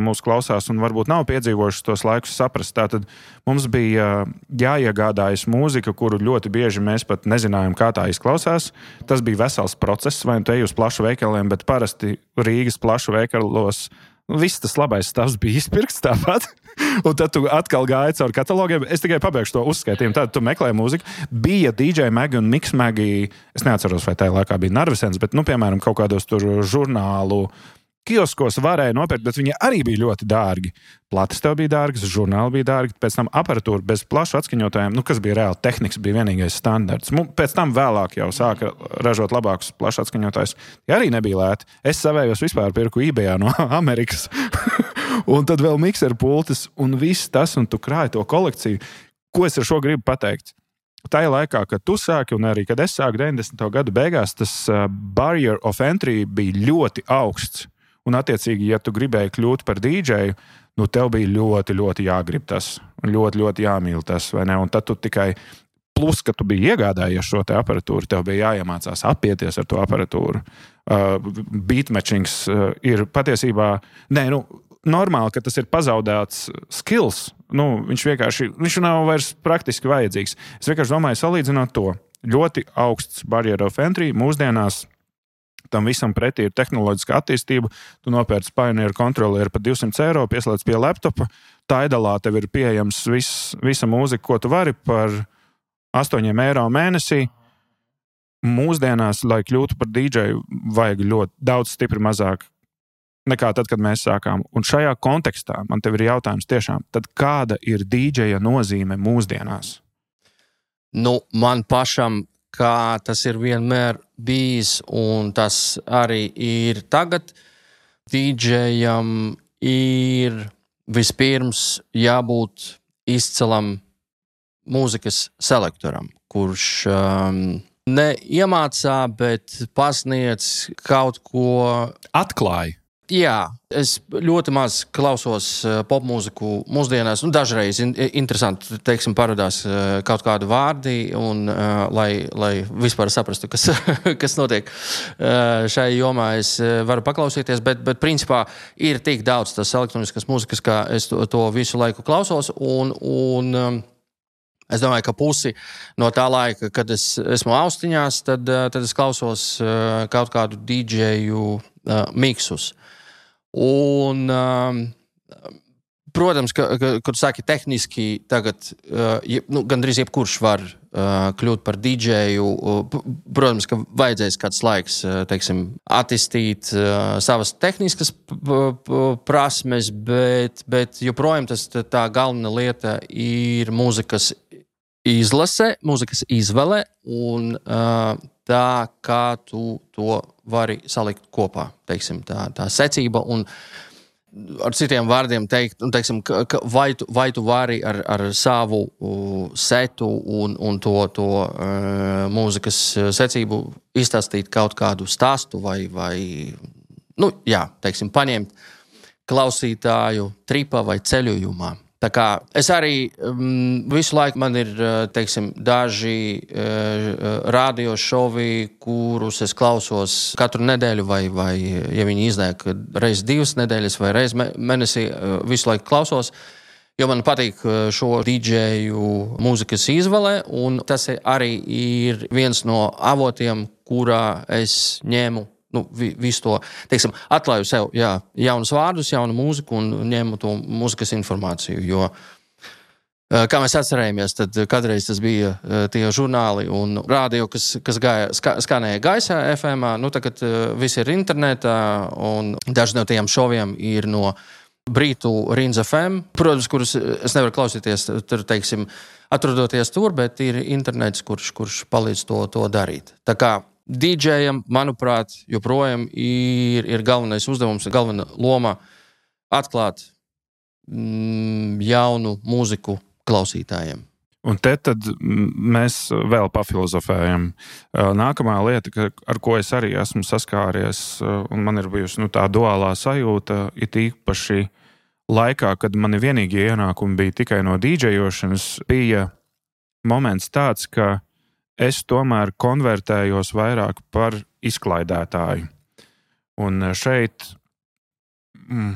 mūs klausās un varbūt nav piedzīvojuši tos laikus saprast. Tātad mums bija jāiegādājas mūzika, kuru ļoti bieži mēs pat nezinājām, kā tā izklausās. Tas bija vesels process, vai nu te ej uz plašu veikaliem, bet parasti Rīgas plašu veikalos viss tas labais stāvs bija izpirkts tāpat. Un tad tu atkal gāji caur katalogiem. Es tikai pabeigšu to uzskaitījumu. Tad tu meklēji mūziku. Bija dī džej Magi un Mix Magi. Es neatceros, vai tajā laikā bija Narvisens, bet, nu, piemēram, kaut kādos tur žurnālu kioskos varēja nopirkt, bet viņi arī bija ļoti dārgi. Plates tev bija dārgas, žurnāli bija dārgi, pēc tam aparatūra bez plašu atskaņotājiem, nu, kas bija reāli tehnikas, bija vienīgais standarts. Pēc tam vēlāk jau sāka ražot labākus plašu atskaņotājus. Ja arī nebija lēti. Es savējos vispār pirku eBayā no Amerikas. Un tad vēl mikseru pultis un viss tas, un tu krāji to kolekciju. Ko es ar šo gribu pateikt? Tajā laikā, kad tu sāki, un arī, kad es sāku deviņdesmito gadu beigās, tas uh, barrier of entry bija ļoti augsts. Un, attiecīgi, ja tu gribēji kļūt par dī džeju, nu, tev bija ļoti, ļoti jāgrib tas. Un ļoti, ļoti jāmīl tas, vai ne? Un tad tu tikai, plus, ka tu biji iegādājies šo te aparatūru, tev bija jāiemācās apieties ar to aparatūru. Uh, beatmatchings uh, ir patiesībā, nē, nu, normāli, ka tas ir pazaudēts skills. Nu, viņš vienkārši, viņš nav vairs praktiski vajadzīgs. Es vienkārši domāju, salīdzinot to. Ļoti augsts barrier of entry mūsdienās. Tam visam pretī ir tehnoloģiska attīstība. Tu nopērci Pioneer kontrolieru par divsimt eiro, pieslēdz pie laptopa. Tidalā tev ir pieejams viss, visa mūzika, ko tu vari par astoņiem eiro mēnesī. Mūsdienās, lai kļūtu par dī džeju, vajag ļoti daudz stipri mazāk nekā tad, kad mēs sākām. Un šajā kontekstā man tev ir jautājums tiešām, tad kāda ir dī džeja nozīme mūsdienās? Nu, man pašam, kā tas ir vienmēr bijis, un tas arī ir tagad, dīdžejam ir vispirms jābūt izcilam mūzikas selektoram, kurš um, neiemācā, bet pasniedz kaut ko. Atklāja. Jā, es ļoti maz klausos uh, popmūziku mūsdienās, un dažreiz in, interesanti, teiksim, parādās uh, kaut kādi vārdi, un, uh, lai, lai vispār saprastu, kas, kas notiek uh, šai jomā, es uh, varu paklausīties, bet, bet principā ir tik daudz tas elektroniskas mūzikas, kā es to, to visu laiku klausos, un, un um, es domāju, ka pusi no tā laika, kad es esmu austiņās, tad, tad es klausos uh, kaut kādu dīdžeju uh, miksus. Un, um, protams, ka, ka, kad saki tehniski, tagad uh, je, nu, gandrīz jebkurš var uh, kļūt par dīdžeju. Uh, protams, ka vajadzēs kāds laiks, uh, teiksim, attīstīt uh, savas tehniskas p- p- prasmes, bet, bet joprojām tas tā galvenā lieta ir mūzikas izlase, mūzikas izvēle un uh, tā, kā tu to vari salikt kopā, teiksim, tā, tā secība un ar citiem vārdiem teikt, un, teiksim, ka, ka vai, tu, vai tu vari ar, ar savu uh, setu un, un to, to uh, mūzikas secību izstāstīt kaut kādu stāstu vai, vai nu, jā, teiksim, paņemt klausītāju tripā vai ceļojumā. Tā kā es arī um, visu laiku man ir, teiksim, daži uh, radio šovi, kurus es klausos katru nedēļu vai, vai ja viņi iznāk reiz divas nedēļas vai reiz mēnesī, uh, visu laiku klausos, jo man patīk šo dīdžeju mūzikas izvēle, un tas arī ir viens no avotiem, kurā es ņēmu Nu, visu to, teiksim, atklāju sev, jā, jaunus vārdus, jaunu mūziku un ņēmu to mūzikas informāciju, jo, kā mēs atcerējamies, tad kādreiz tas bija tie žurnāli un radio, kas, kas gāja, ska, skanēja gaisā F M, nu tagad viss ir internetā un daži no tiem šoviem ir no Brītu Rins F M, protams, kurus es nevaru klausīties, tur, teiksim, atrodoties tur, bet ir internets, kurš, kurš palīdz to, to darīt. Tā kā dīdžejam, manuprāt, joprojām ir, ir galvenais uzdevums, galvenā loma atklāt mm, jaunu mūziku klausītājiem. Un te tad mēs vēl pafilozofējam. Nākamā lieta, ar ko es arī esmu saskāries, un man ir bijusi nu, tā duālā sajūta, it īpaši laikā, kad mani vienīgie ienākumi bija tikai no dīdžejošanas, bija moments tāds, ka es tomēr konvertējos vairāk par izklaidētāju. Un šeit mm,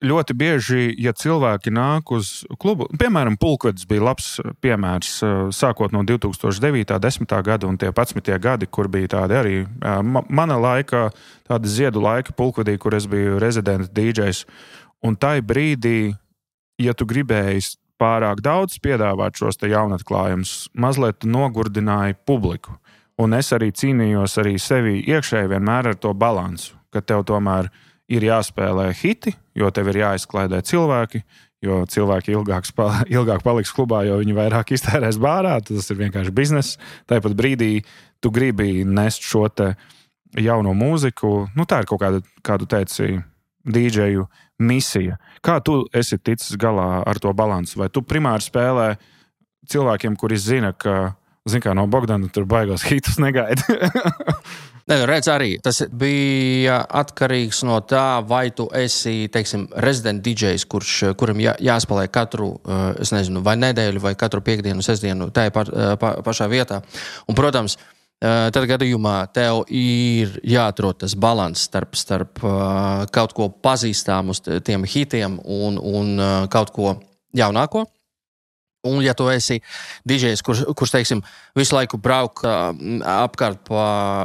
ļoti bieži, ja cilvēki nāk uz klubu, piemēram, Pulkvedis bija labs piemērs, sākot no divi tūkstoši devītā, desmitā gada un tie padsmitie gadi, kur bija tādi arī ma- mana laika, tādi ziedu laika Pulkvedī, kur es biju rezidenta dīdžejs. Un tai brīdī, ja tu gribēji pārāk daudz piedāvāt šos te jaunatklājumus, mazliet nogurdināja publiku. Un es arī cīnījos arī sevi iekšēji vienmēr ar to balansu, ka tev tomēr ir jāspēlē hiti, jo tev ir jāizklaidē cilvēki, jo cilvēki ilgāk, spēl, ilgāk paliks klubā, jo viņi vairāk iztērēs bārā, tas ir vienkārši bizness. Tāpat brīdī tu gribi nest šo te jauno mūziku, nu tā ir kaut kāda, kā tu teici, dīdžeju misija. Kā tu esi ticis galā ar to balansu? Vai tu primāri spēlē cilvēkiem, kuri zina, ka, zin kā, no Bogdana tur baigos hitus negaidi? Ne, redz arī, tas bija atkarīgs no tā, vai tu esi, teiksim, rezident dīdžejs, kurš, kuram jā, jāspēlē katru, es nezinu, vai nedēļu, vai katru piekdienu, sestdienu, tā pa, pa, pašā vietā. Un, protams, tad gadījumā tev ir jāatrod tas balans starp, starp kaut ko pazīstāmu uz tiem hitiem un, un kaut ko jaunāko. Un, ja tu esi dīdžejs, kurš, kurš, teiksim, visu laiku brauk apkārt pa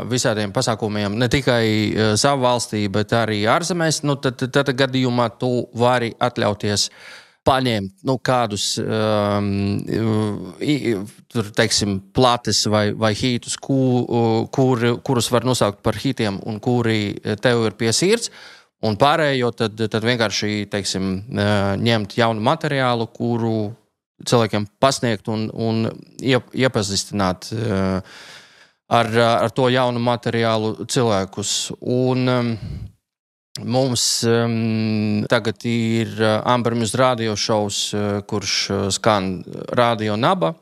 visādiem pasākumiem, ne tikai savu valstī, bet arī ārzemēs, nu, tad, tad, tad gadījumā tu vari atļauties paņemt nu, kādus um, tur, teiksim, plates vai, vai hitus, ku, kur, kurus var nosaukt par hitiem un kuri tev ir pie sirds, un pārējo tad, tad vienkārši, teiksim, ņemt jaunu materiālu, kuru cilvēkiem pasniegt un, un iepazīstināt ar, ar to jaunu materiālu cilvēkus. Un um, mums um, tagad ir Amber Muse radio šovs, kurš skan Radio Naba.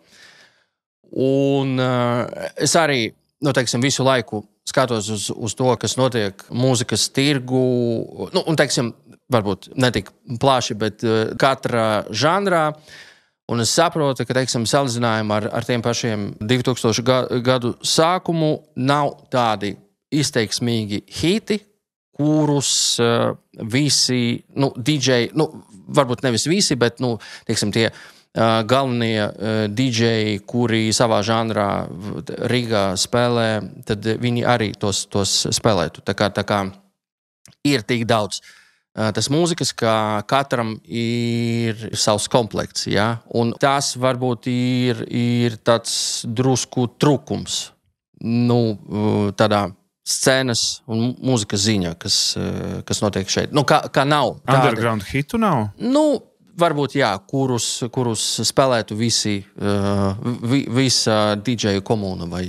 Un uh, es arī, nu, teiksim, visu laiku skatos uz, uz to, kas notiek mūzikas tirgu, nu, un, teiksim, varbūt ne tik plaši, bet uh, katra žanrā. Un es saprotu, ka, teiksim, salīdzinājumā ar, ar tiem pašiem divtūkstošu gadu sākumu nav tādi izteiksmīgi hiti, kurus uh, visi, nu, didžeji, nu, varbūt nevis visi, bet, nu, teiksim, tie uh, galvenie uh, didžeji, kuri savā žanrā Rīgā spēlē, tad viņi arī tos, tos spēlētu. Tā kā, tā kā ir tik daudz tas mūzikas, ka katram ir savs komplekts, ja? Un tas varbūt ir, ir tāds drusku trūkums, nu, tādā scēnas un mūzikas ziņā, kas, kas notiek šeit. Nu, kā, kā nav. Tāda, underground hitu nav? Nu, varbūt jā, kurus, kurus spēlētu visi, vi, visa didžeju komūna vai...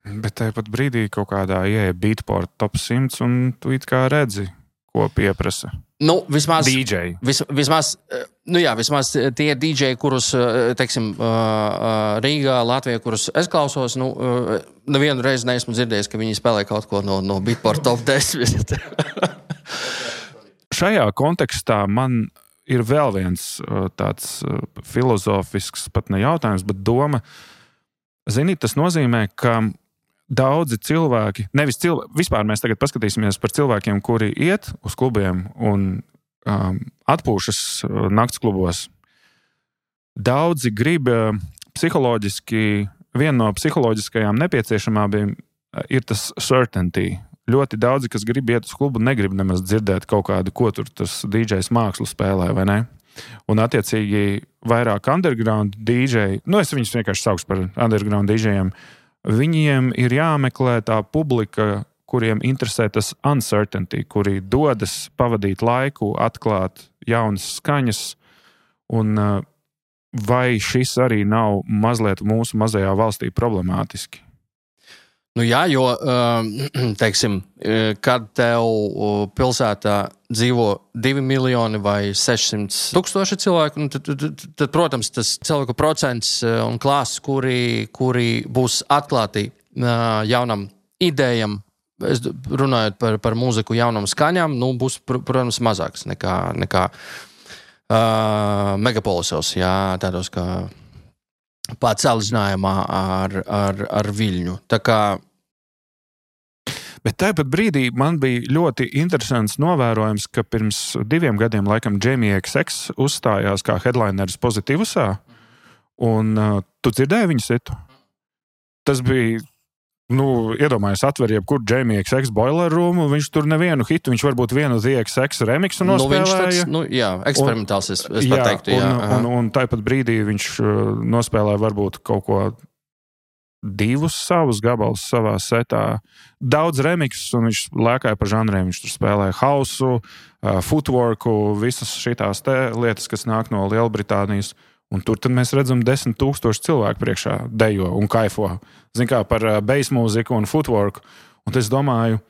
Bet tāpat brīdī kaut kādā ieeja Beatport top simts un tu it kā redzi, ko pieprasa. Nu, vismaz, didžeji. Vis, vismaz, nu jā, vismaz tie didžeji, kurus, teiksim, Rīgā, Latvijā, kurus es klausos, nu, nevienu reizi neesmu dzirdējis, ka viņi spēlē kaut ko no, no Beatport top desmit. Šajā kontekstā man ir vēl viens tāds filozofisks, pat ne jautājums, bet doma. Zini, tas nozīmē, ka daudzi cilvēki, nevis cilvēki, vispār mēs tagad paskatīsimies par cilvēkiem, kuri iet uz klubiem un um, atpūšas nakts klubos. Daudzi grib psiholoģiski, viena no psiholoģiskajām nepieciešamībām ir tas certainty. Ļoti daudzi, kas grib iet uz klubu, negrib nemaz dzirdēt kaut kādu, ko tur tas dīdžejs mākslu spēlē, vai ne? Un attiecīgi vairāk underground dīdžeji, nu es viņus vienkārši saukšu par underground dīdžejiem, viņiem ir jāmeklē tā publika, kuriem interesē tas uncertainty, kuri dodas pavadīt laiku, atklāt jaunas skaņas, un vai šis arī nav mazliet mūsu mazajā valstī problemātiski? Nu jā, jo, teiksim, kad tev pilsētā dzīvo divi miljoni vai sešsimt tūkstoši cilvēku, nu, tad, tad, tad, protams, tas cilvēku procents un klāsts, kuri, kuri būs atklāti jaunam idejam, es runājot par, par mūziku jaunam skaņām, nu, būs, protams, mazāks nekā, nekā uh, megapolisos, jā, tādos kā pats salīdzinājumā ar, ar, ar Viļņu. Tā kā... Bet tāpat brīdī man bija ļoti interesants novērojums, ka pirms diviem gadiem laikam Jamie X X uzstājās kā headlineris Pozitīvusā, un uh, tu dzirdēji viņu situ? Tas bija, nu, iedomājies, atver jebkur Jamie X X Boiler Room, viņš tur nevienu hitu, viņš varbūt vienu The X X remixu nospēlēja. Nu, viņš tāds, nu, jā, eksperimentāls, es, es pat teiktu, jā. Un, un, un tāpat brīdī viņš nospēlēja varbūt kaut ko divus savus gabalus savā setā. Daudz remixus, un viņš lēkāja pa žanriem. Viņš tur spēlēja hausu, footworku, visas šitās te lietas, kas nāk no Lielbritānijas. Un tur tad mēs redzam desmit tūkstoši cilvēku priekšā dejo un kaifo. Zin kā par bass mūziku un footworku. Un es domāju,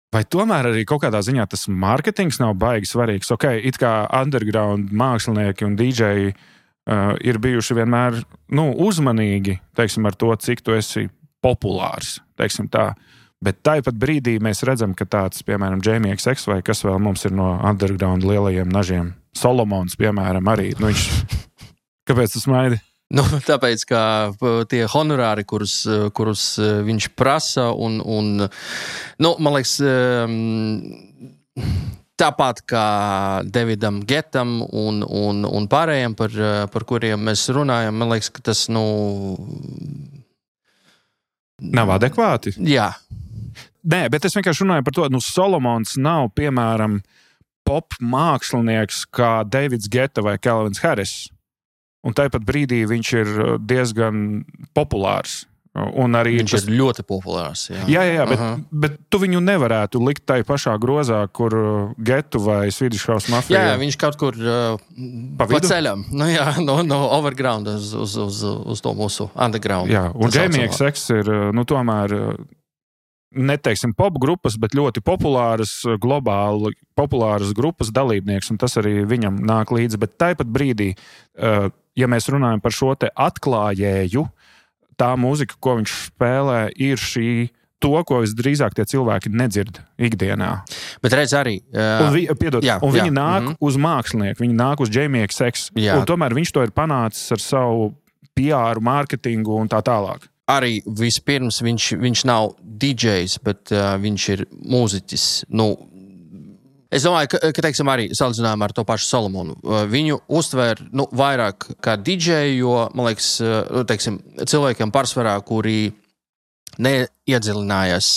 vai tomēr arī kaut kādā ziņā tas marketings nav baigi svarīgs? Ok, it kā underground mākslinieki un dīdžeji uh, ir bijuši vienmēr, nu, uzmanīgi, teiksim, ar to, cik tu esi populārs, teiksim tā. Bet tāpat brīdī mēs redzam, ka tāds, piemēram, Jamie X X vai kas vēl mums ir no underground lielajiem nažiem, Solomons, piemēram, arī. Nu, viņš... Kāpēc tu smaidi? Nu, tāpēc, ka tie honorāri, kurus, kurus viņš prasa, un, un nu, man liekas, tāpat kā Davidam Getam un, un, un pārējiem, par, par kuriem mēs runājam, man liekas, ka tas, nu... Nav adekvāti? Jā. Nē, bet es vienkārši runāju par to, nu, Solomons nav, piemēram, pop mākslinieks kā Davids Geta vai Calvins Harris. Un tāpat brīdī viņš ir diezgan populārs Un arī viņš tas... ir ļoti populārs. Jā, jā, jā, jā bet, uh-huh. bet tu viņu nevarētu likt tai pašā grozā, kur Getu vai Swedish House Mafia. Jā, jā, viņš kaut kur uh, pa, pa ceļam, nu, jā, no, no overground uz, uz, uz, uz to mūsu underground. Jā, un Jamie X X ir, nu, tomēr, neteiksim pop grupas, bet ļoti populāras, globāli populāras grupas dalībnieks, un tas arī viņam nāk līdzi. Bet tāpat brīdī, uh, ja mēs runājam par šo te atklājēju, tā mūzika, ko viņš spēlē, ir šī to, ko visdrīzāk tie cilvēki nedzird ikdienā. Bet redz arī... Uh, un vi, piedod, jā, un viņi jā, nāk mm-hmm. uz mākslinieku, viņi nāk uz Jamie X X. Jā. Un tomēr viņš to ir panācis ar savu P R, mārketingu un tā tālāk. Arī vispirms viņš, viņš nav D Js, bet uh, viņš ir mūziķis. Nu, es domāju, ka, ka teiksim, arī salīdzinājumā ar to pašu Solomonu. Viņu uztver nu, vairāk kā D J, jo, man liekas, teiksim, cilvēkiem pārsvarā, kuri neiedziļinājās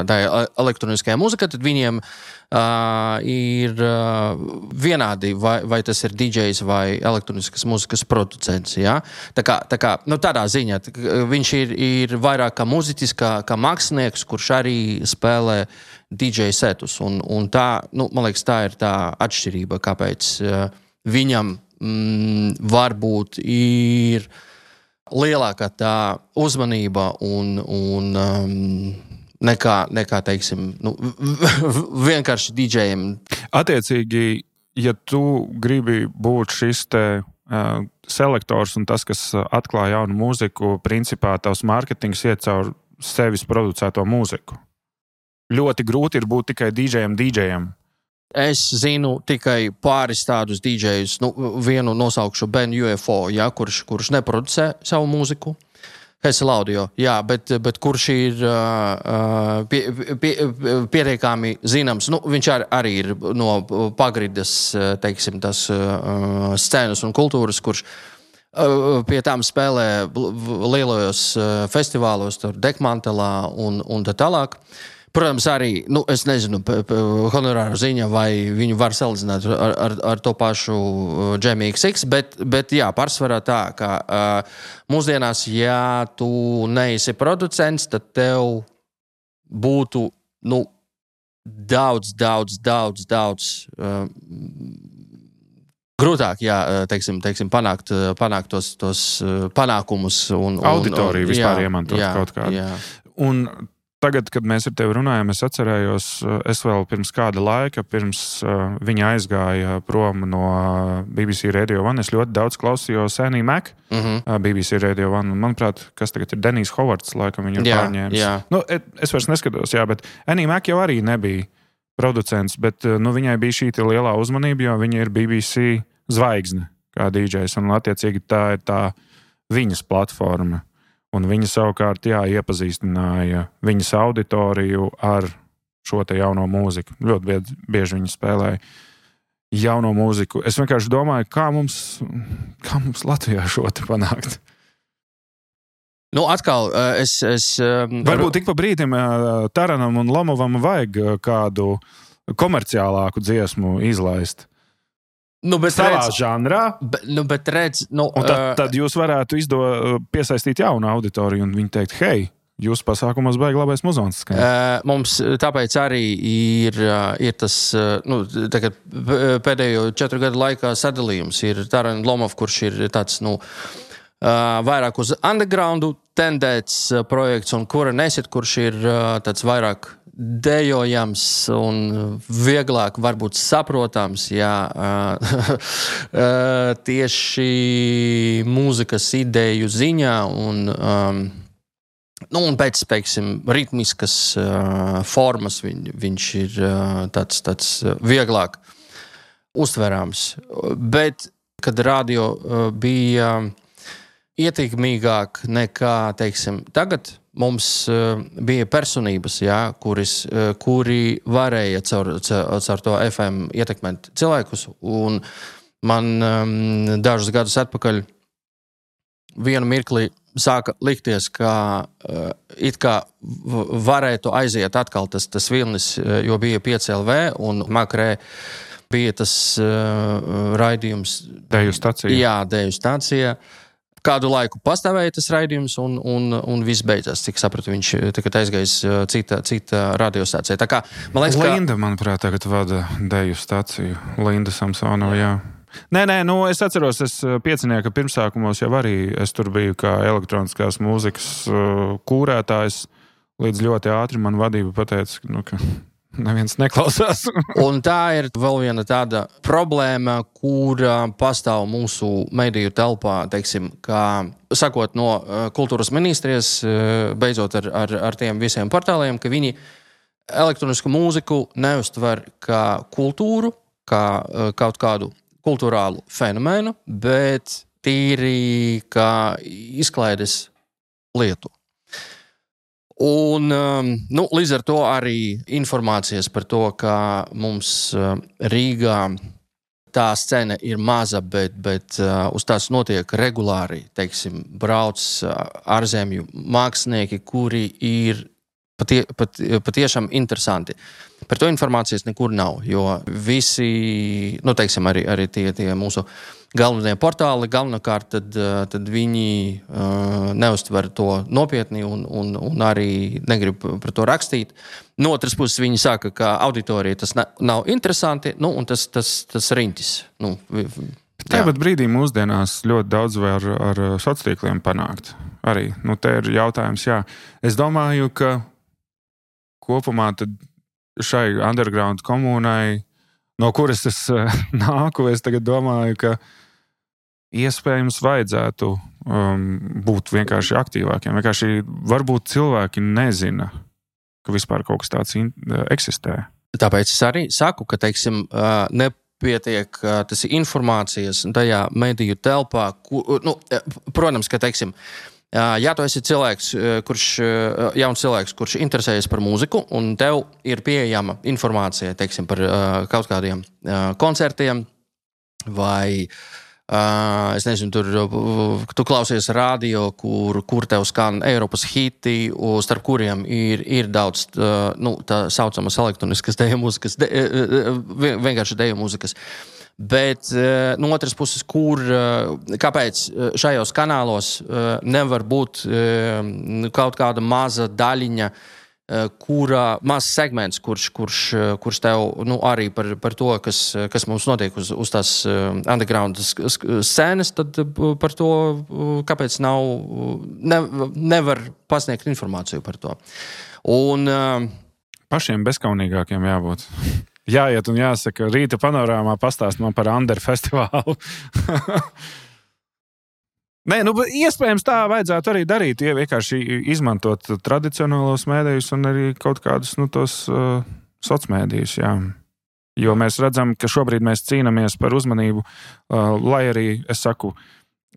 tajā elektroniskajā mūzikā, tad viņiem uh, ir uh, vienādi, vai, vai tas ir D Js vai elektroniskas mūzikas producents. Ja? Tā kā, tā kā nu, tādā ziņā tā, viņš ir, ir vairāk kā mūziķis, kā, kā mākslinieks, kurš arī spēlē D J setus. Un, un tā, nu, man liekas, tā ir tā atšķirība, kāpēc uh, viņam mm, varbūt ir lielākā tā uzmanība un, un um, nekā, nekā, teiksim, nu, vienkārši D Jiem. Attiecīgi, ja tu gribi būt šis te uh, selektors un tas, kas atklāja jaunu mūziku, principā tavs mārketings iet caur sevis producēto mūziku. Ļoti grūti ir būt tikai D Jiem, D Jiem. Es zinu tikai pāris tādus D Js, nu, vienu nosaukšu Ben U F O, ja, kurš, kurš neproducē savu mūziku. Hessel Audio, jā, bet, bet kurš ir uh, pie, pie, pietiekami zināms. Nu, viņš ar, arī ir no pagridas, teiksim, tas uh, scēnas un kultūras, kurš uh, pie tām spēlē lielajos uh, festivālos, tur Dekmantelā un, un tā tālāk. Protams, arī, nu, es nezinu, p- p- honorāru ziņa, vai viņu var salīdzināt ar, ar, ar to pašu Jamie X X, bet, bet jā, pārsvarā tā, ka uh, mūsdienās, ja tu neesi producents, tad tev būtu, nu, daudz, daudz, daudz, daudz uh, grūtāk, jā, teiksim, teiksim panākt, panākt tos, tos panākumus. Un, auditoriju un, vispār jā, iemantot jā, kaut kādu. Jā. Un tagad, kad mēs ar tevi runājam, es atcerējos, es vēl pirms kāda laika, pirms uh, viņa aizgāja prom no B B C Radio One, es ļoti daudz klausījos Annie Mac, Mm-hmm. uh, B B C Radio One, un manuprāt, kas tagad ir Denijs Hovards, laikam viņu ir Jā, pārņēmis. jā. Nu, es vairs neskatos, jā, bet Annie Mac jau arī nebija producents, bet uh, nu, viņai bija šī te lielā uzmanība, jo viņa ir B B C zvaigzne kā D Js, un attiecīgi tā ir tā viņas platforma. Un viņa savukārt, jā, iepazīstināja viņas auditoriju ar šo te jauno mūziku. Ļoti bieži, bieži viņi spēlēja jauno mūziku. Es vienkārši domāju, kā mums, kā mums Latvijā šo te panākt. Nu, atkal, es... es Varbūt tik pa brīdim Taranam un Lomovam vajag kādu komerciālāku dziesmu izlaist. Nu, bet savā redz, žanrā. Be, nu, bet redz, nu, Un tad, tad jūs varētu izdo, piesaistīt jaunu auditoriju un viņi teikt, hei, jūsu pasākumos baigi labais muzons skan. Uh, mums tāpēc arī ir, uh, ir tas, uh, nu, tagad pēdējo četru gadu laikā sadalījums. Ir Taran Lomov, kurš ir tāds, nu, uh, vairāk uz undergroundu tendēts uh, projekts, un Kura Nesit, kurš ir uh, tāds vairāk dejojams un vieglāk varbūt saprotams, jā, tieši mūzikas ideju ziņā un, um, nu, un pēc, teiksim, ritmiskas uh, formas viņ, viņš ir uh, tāds, tāds vieglāk uztverams. Bet, kad radio uh, bija ietekmīgāk nekā, teiksim, tagad, mums uh, bija personības, jā, kuris, uh, kuri varēja caur, caur, caur to F M ietekmēt cilvēkus. Un man um, dažus gadus atpakaļ vienu mirkli sāka likties, ka uh, it kā varētu aiziet atkal tas, tas vilnis, jo bija pieci L V un Makrē bija tas uh, raidījums. Deju stacija. Jā, Deju stacija. kādu laiku pastāvēja tas raidījums, un, un, un viss beidzās. Cik sapratu, viņš tagad aizgājis cita, cita radiostācija. Tā kā, man liekas, Linda, ka... manuprāt, tagad vada deju stāciju. Linda Samsonova, jā. Nē, nē, nu es atceros, es piecinieka pirmsākumos jau arī, es tur biju kā elektroniskās mūzikas uh, kūrētājs, līdz ļoti ātri man vadība pateica, nu, ka neviens neklausās. Un tā ir vēl viena tāda problēma, kura pastāv mūsu mediju telpā, teiksim, kā sakot no kultūras ministrijas, beidzot ar, ar, ar tiem visiem portāliem, ka viņi elektronisku mūziku neuztver kā kultūru, kā kaut kādu kultūrālu fenomenu, bet tīri kā izklaides lietu. Un, nu, līdz ar to arī informācijas par to, ka mums Rīgā tā scena ir maza, bet, bet uz tās notiek regulāri, teiksim, brauc ārzemju mākslinieki, kuri ir patie, pat, patiešām interesanti. Par to informācijas nekur nav, jo visi, nu, teiksim, arī, arī tie, tie mūsu galvenie portāli, galvenokārt, tad, tad viņi uh, neuztver to nopietni un, un, un arī negrib par to rakstīt. No otras puses viņi saka, ka auditorija tas ne, nav interesanti, nu, un tas, tas, tas riņķis. Nu, Tāpat brīdī mūsdienās ļoti daudz var ar sociāliem tīkliem panākt. Arī, nu, te ir jautājums, jā. Es domāju, ka kopumā tad šai underground komunai, no kuras es nāku, es tagad domāju, ka iespējams vajadzētu um, būt vienkārši aktīvākiem. Vienkārši varbūt cilvēki nezina, ka vispār kaut kas tāds in- eksistē. Tāpēc es arī saku, ka, teiksim, nepietiek tas informācijas tajā mediju telpā. Ku, nu, protams, ka, teiksim, ja tu esi cilvēks, kurš, jauns cilvēks, kurš interesējas par mūziku, un tev ir pieejama informācija, teiksim, par kaut kādiem koncertiem, vai, es nezinu, tur, tu klausies radio, kur, kur tev skan Eiropas hiti, starp kuriem ir, ir daudz, nu, tā saucamas elektroniskas deju mūzikas, de, vienkārši deju mūzikas. Bet no otras puses, kur, kāpēc šajos kanālos nevar būt kaut kāda maza daļiņa, kura, mazs segments, kurš, kurš, kurš tev nu, arī par, par to, kas, kas mums notiek uz, uz tās underground scēnas, tad par to, kāpēc nav, ne, nevar pasniegt informāciju par to. Un, pašiem bezkaunīgākiem jābūt. Jāiet un jāsaka, rīta panorāmā pastāst man par Under festivālu. Nē, nu, iespējams tā vajadzētu arī darīt, ja vienkārši izmantot tradicionālos mēdījus un arī kaut kādus, nu, tos uh, socmēdījus, jā. Jo mēs redzam, ka šobrīd mēs cīnāmies par uzmanību, uh, lai arī, es saku,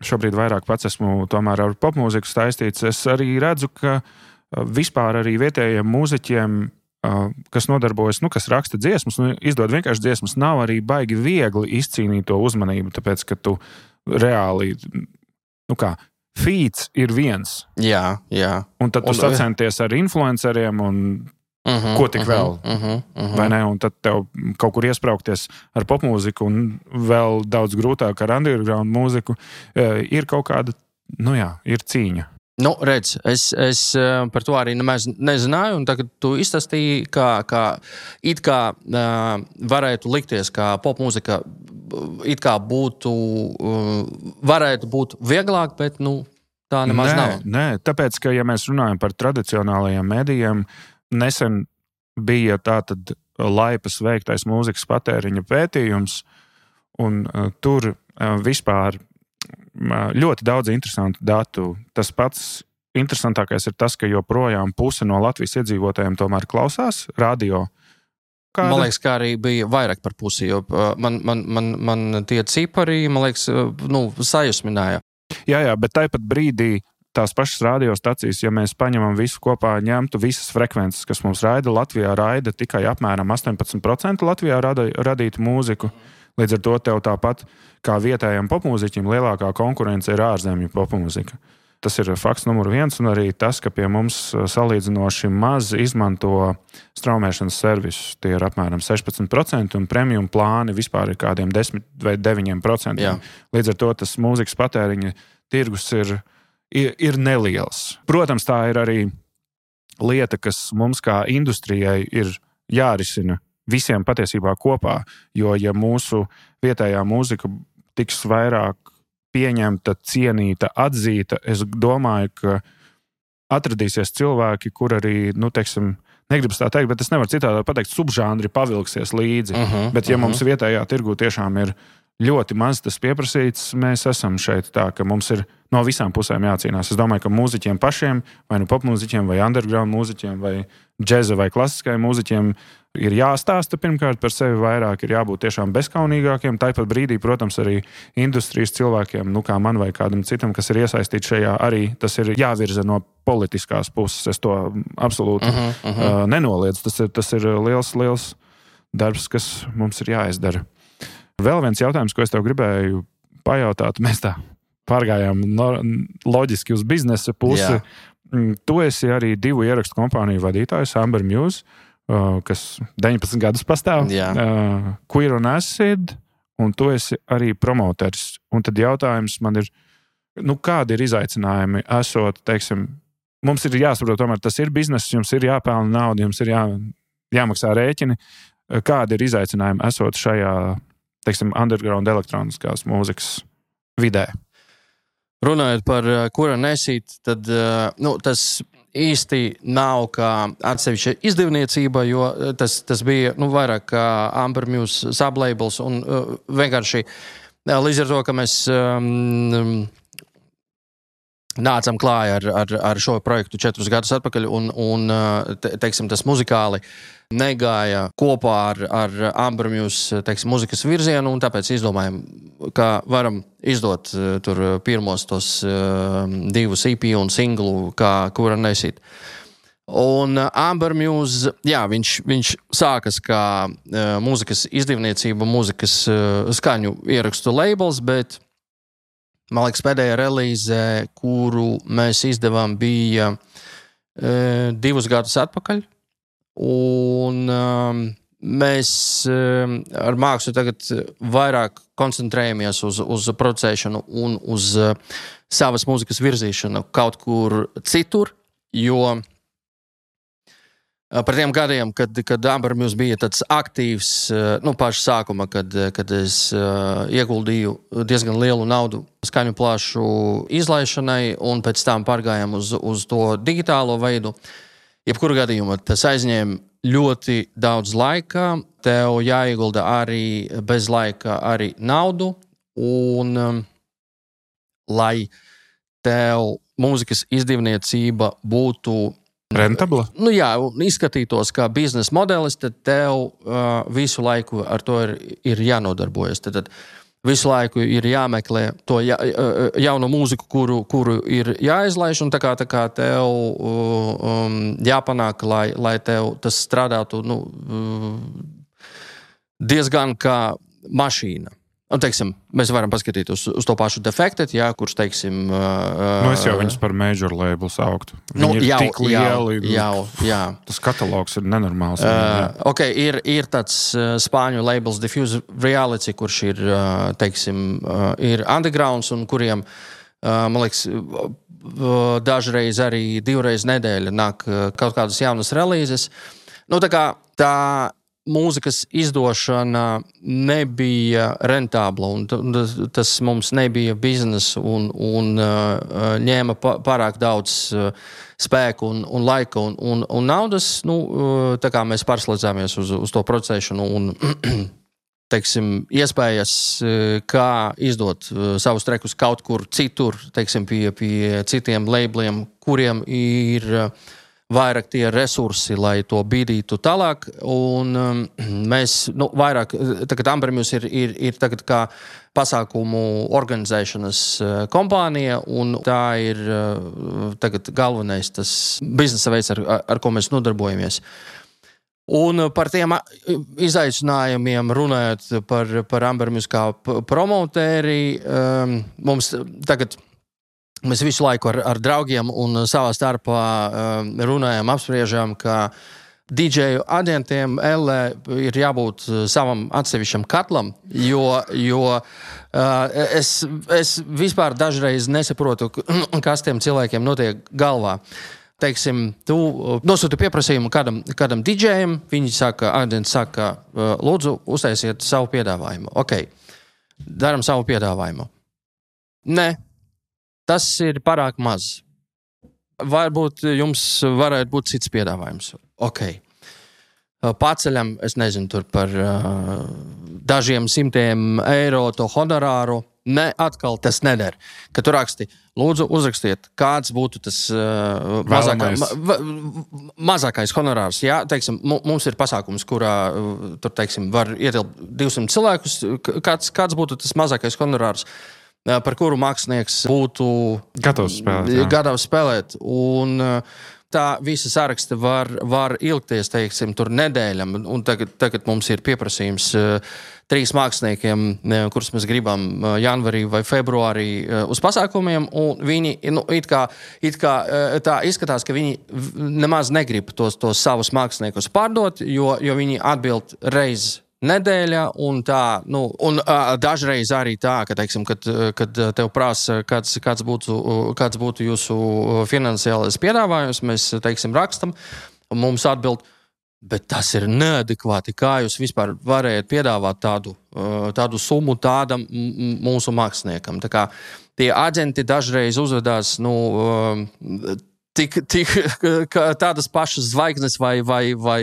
šobrīd vairāk pats esmu tomēr ar popmūziku saistīts, es arī redzu, ka uh, vispār arī vietējiem mūziķiem, kas nodarbojas, nu, kas raksta dziesmas, nu, izdod vienkārši dziesmas, nav arī baigi viegli izcīnīt to uzmanību, tāpēc, ka tu reāli, nu kā, feeds ir viens. Jā, jā. Un tad tu un, sacenties ar influenceriem un uh-huh, ko tik uh-huh, vēl, uh-huh, uh-huh. vai ne? Un tad tev kaut kur iespraukties ar popmūziku un vēl daudz grūtāk ar underground mūziku, ir kaut kāda, nu jā, ir cīņa. Nu, redz, es, es par to arī nemaz nezināju, un tagad tu izstāstīji, kā, kā it kā uh, varētu likties, kā popmūzika it kā būtu, uh, varētu būt vieglāk, bet, nu, tā nemaz nē, nav. Nē, tāpēc, ka, ja mēs runājam par tradicionālajiem medijiem, nesen bija tātad Laipas veiktais mūzikas patēriņa pētījums, un uh, tur uh, vispār ļoti daudz interesantu datu. Tas pats interesantākais ir tas, ka joprojām puse no Latvijas iedzīvotājiem tomēr klausās radio. Kāda? Man liekas, kā arī bija vairāk par pusi, jo man, man, man, man tie cipari, man liekas, nu, sajusmināja. Jā, jā, bet tāpat brīdī tās pašas radiostacijas, ja mēs paņemam visu kopā, ņemtu visas frekvences, kas mums raida, Latvijā raida tikai apmēram astoņpadsmit procenti Latvijā rada, radītu mūziku. Līdz ar to tev tāpat kā vietējiem popmūziķim lielākā konkurence ir ārzemju popmūzika. Tas ir fakts numur viens, un arī tas, ka pie mums salīdzinoši maz izmanto straumēšanas servisus. Tie ir apmēram sešpadsmit procenti, un premium plāni vispār ir kādiem desmit vai deviņi procenti. Jā. Līdz ar to tas mūzikas patēriņa tirgus ir, ir, ir neliels. Protams, tā ir arī lieta, kas mums kā industrijai ir jārisina visiem patiesībā kopā, jo ja mūsu vietējā mūzika tiks vairāk pieņemta, cienīta, atzīta, es domāju, ka atradīsies cilvēki, kur arī, nu, teiksim, negribas tā teikt, bet es nevaru citādi pateikt, subžānri pavilksies līdzi. Uh-huh, bet ja uh-huh. mums vietējā tirgu tiešām ir ļoti maz tas pieprasīts, mēs esam šeit tā, ka mums ir no visām pusēm jācīnās. Es domāju, ka mūziķiem pašiem, vai nu popmūziķiem, vai underground mūziķiem, vai džeza vai klasiskajiem mūziķiem ir jāstāsta pirmkārt par sevi vairāk, ir jābūt tiešām bezkaunīgākiem. Tāpat brīdī, protams, arī industrijas cilvēkiem, nu kā man vai kādam citam, kas ir iesaistīts šajā, arī tas ir jāvirza no politiskās puses. Es to absolūti uh-huh, uh-huh. Uh, nenoliedzu. Tas ir, tas ir liels, liels darbs, kas mums ir jāizdara. Vēl viens jautājums, ko es tev gribēju pajautāt, mēs tā pārgājām no, loģiski uz biznesa pusi. Jā. Tu esi arī divu ierakstu kompāniju vadītājs, Amber Muse, kas deviņpadsmit gadus pastāv, uh, Queer on Acid, un tu esi arī promoteris. Un tad jautājums man ir, nu kādi ir izaicinājumi esot, teiksim, mums ir jāsaprot, tomēr tas ir bizness, jums ir jāpelna nauda, jums ir jā, jāmaksā rēķini. Kādi ir izaicinājumi esot šajā, teiksim, underground elektroniskās mūzikas vidē? Runājot par Queer on Acid, tad nu, tas īsti nav kā atsevišķa izdevniecība, jo tas, tas bija nu, vairāk kā Amber Muse sublabels un uh, vienkārši līdz ar to, ka mēs um, nācam klāja ar, ar, ar šo projektu četrus gadus atpakaļ un, un te, teiksim, tas muzikāli negāja kopā ar, ar Amber Muse, teiksim, muzikas virzienu, un tāpēc izdomājam, ka varam izdot uh, tur pirmos tos uh, divus E P un singlu, kā Queer on Acid. Un uh, Amber Muse, jā, viņš, viņš sākas kā uh, muzikas izdevniecība, muzikas uh, skaņu ierakstu labels, bet, man liekas, pēdējā relīze, kuru mēs izdevām, bija uh, divus gadus atpakaļ. Un um, mēs um, ar mākslu tagad vairāk koncentrējamies uz, uz producēšanu un uz uh, savas mūzikas virzīšanu kaut kur citur, jo uh, par tiem gadiem, kad, kad Amber Muse bija tāds aktīvs, uh, nu, paša sākuma, kad, kad es uh, ieguldīju diezgan lielu naudu skaņu plāšu izlaišanai un pēc tam pārgājām uz, uz to digitālo veidu. Jebkuru gadījumu tas aizņēma ļoti daudz laika, tev jāiegulda arī bez laika arī naudu, un um, lai tev mūzikas izdevniecība būtu rentabla? Nu jā, izskatītos kā biznesa modelis, tad tev uh, visu laiku ar to ir, ir jānodarbojas. Tad, tad visu laiku ir jāmeklē to ja, jaunu mūziku, kuru, kuru ir jāizlaiž, un tā kā, tā kā tev um, jāpanāk, lai, lai tev tas strādātu nu, diezgan kā mašīna. Un, teiksim, mēs varam paskatīt uz, uz to pašu Defected, jā, kurš, teiksim... Uh, nu, es jau viņus par major label sauktu. Viņi nu, ir jau, tik lieli. Jau, jā. Tas katalogs ir nenormāls. Uh, ok, ir, ir tāds uh, spāņu labels Diffuse Reality, kurš ir, uh, teiksim, uh, ir undergrounds un kuriem, uh, man liekas, uh, dažreiz arī divreiz nedēļa nāk uh, kaut kādas jaunas relīzes. Nu, tā kā tā mūzikas izdošana nebija rentabla, un tas mums nebija biznesa un, un uh, ņēma pārāk daudz uh, spēku un, un laika un, un, un naudas. Nu, uh, tā kā mēs pārslēdzāmies uz, uz to procesēšanu un teiksim, iespējas, uh, kā izdot uh, savus trekus kaut kur citur, teiksim, pie, pie citiem labeliem, kuriem ir uh, vairāk tie resursi, lai to bīdītu tālāk, un um, mēs, nu, vairāk, tagad Amber Muse ir, ir, ir tagad kā pasākumu organizēšanas uh, kompānija, un tā ir uh, tagad galvenais tas biznesa veids, ar, ar ko mēs nodarbojamies. Un par tiem izaicinājumiem runājot par, par Amber Muse kā promotēri, um, mums tagad mēs visu laiku ar, ar draugiem un savā starpā runājam, apspriežam, ka D J aģentiem L A ir jābūt savam atsevišķam katlam, jo, jo uh, es, es vispār dažreiz nesaprotu, kas tiem cilvēkiem notiek galvā. Teiksim, tu nosūti pieprasījumu kādam, kādam DJam, viņi saka, aģents saka, lūdzu, uztaisiet savu piedāvājumu. Ok, daram savu piedāvājumu. Nē, tas ir pārāk maz. Varbūt jums varētu būt cits piedāvājums. Ok. Paceļam, es nezinu, tur par uh, dažiem simtiem eiro to honorāru. Ne, atkal tas neder. Kad tu raksti, lūdzu, uzrakstiet, kāds būtu tas uh, mazākā, ma, mazākais honorārs. Jā, teiksim, mums ir pasākums, kurā uh, tur, teiksim, var ietilpt divsimt cilvēkus. Kāds, kāds būtu tas mazākais honorārs, uh, par kuru mākslinieks būtu gatavs spēlēt. Gatavs spēlēt. Un, uh, tā visa saraksta var, var ilgties, teiksim, tur nedēļam, un tagad, tagad mums ir pieprasījums uh, trīs māksliniekiem, uh, kurus mēs gribam uh, janvarī vai februārī uh, uz pasākumiem, un viņi, nu, it kā, it kā uh, tā izskatās, ka viņi nemaz negrib tos, tos savus māksliniekus pārdot, jo, jo viņi atbild reiz nedēļa, un tā, nu, un uh, dažreiz arī tā, ka, teiksim, kad, kad tev prasa, kāds, kāds, būtu, kāds būtu jūsu finansiālais piedāvājums, mēs, teiksim, rakstam, un mums atbild, bet tas ir neadekvāti, kā jūs vispār varējat piedāvāt tādu, uh, tādu summu tādam m- mūsu māksliniekam. Tā kā tie aģenti dažreiz uzvedās, nu, uh, Tik, tik tādas pašas zvaigznes vai, vai, vai,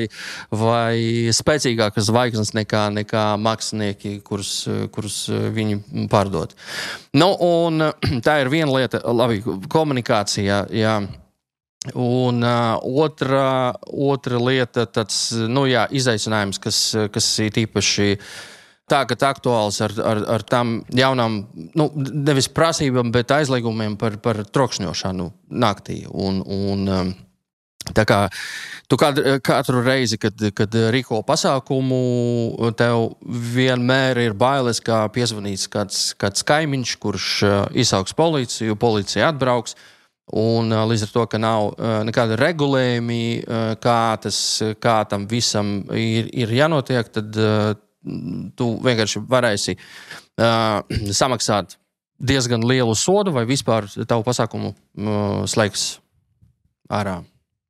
vai spēcīgākas zvaigznes nekā, nekā mākslinieki, kurus, kurus viņi pārdod. Nu, un tā ir viena lieta, labi, komunikācija, jā. Un uh, otra, otra lieta, tāds, nu jā, izaicinājums, kas, kas ir īpaši tagad aktuāls ar, ar, ar tām jaunām, nu, nevis prasībām, bet aizliegumiem par, par trokšņošanu naktī. Un, un tā kā tu katru, katru reizi, kad, kad rīko pasākumu, tev vienmēr ir bailes, kā piezvanīts kāds, kāds kaimiņš, kurš izsauks policiju, policija atbrauks. Un līdz ar to, ka nav nekāda regulējumi, kā, tas, kā tam visam ir, ir jānotiek, tad tu vienkārši varēsi uh, samaksāt diezgan lielu sodu vai vispār tavu pasākumu uh, slēgs ārā.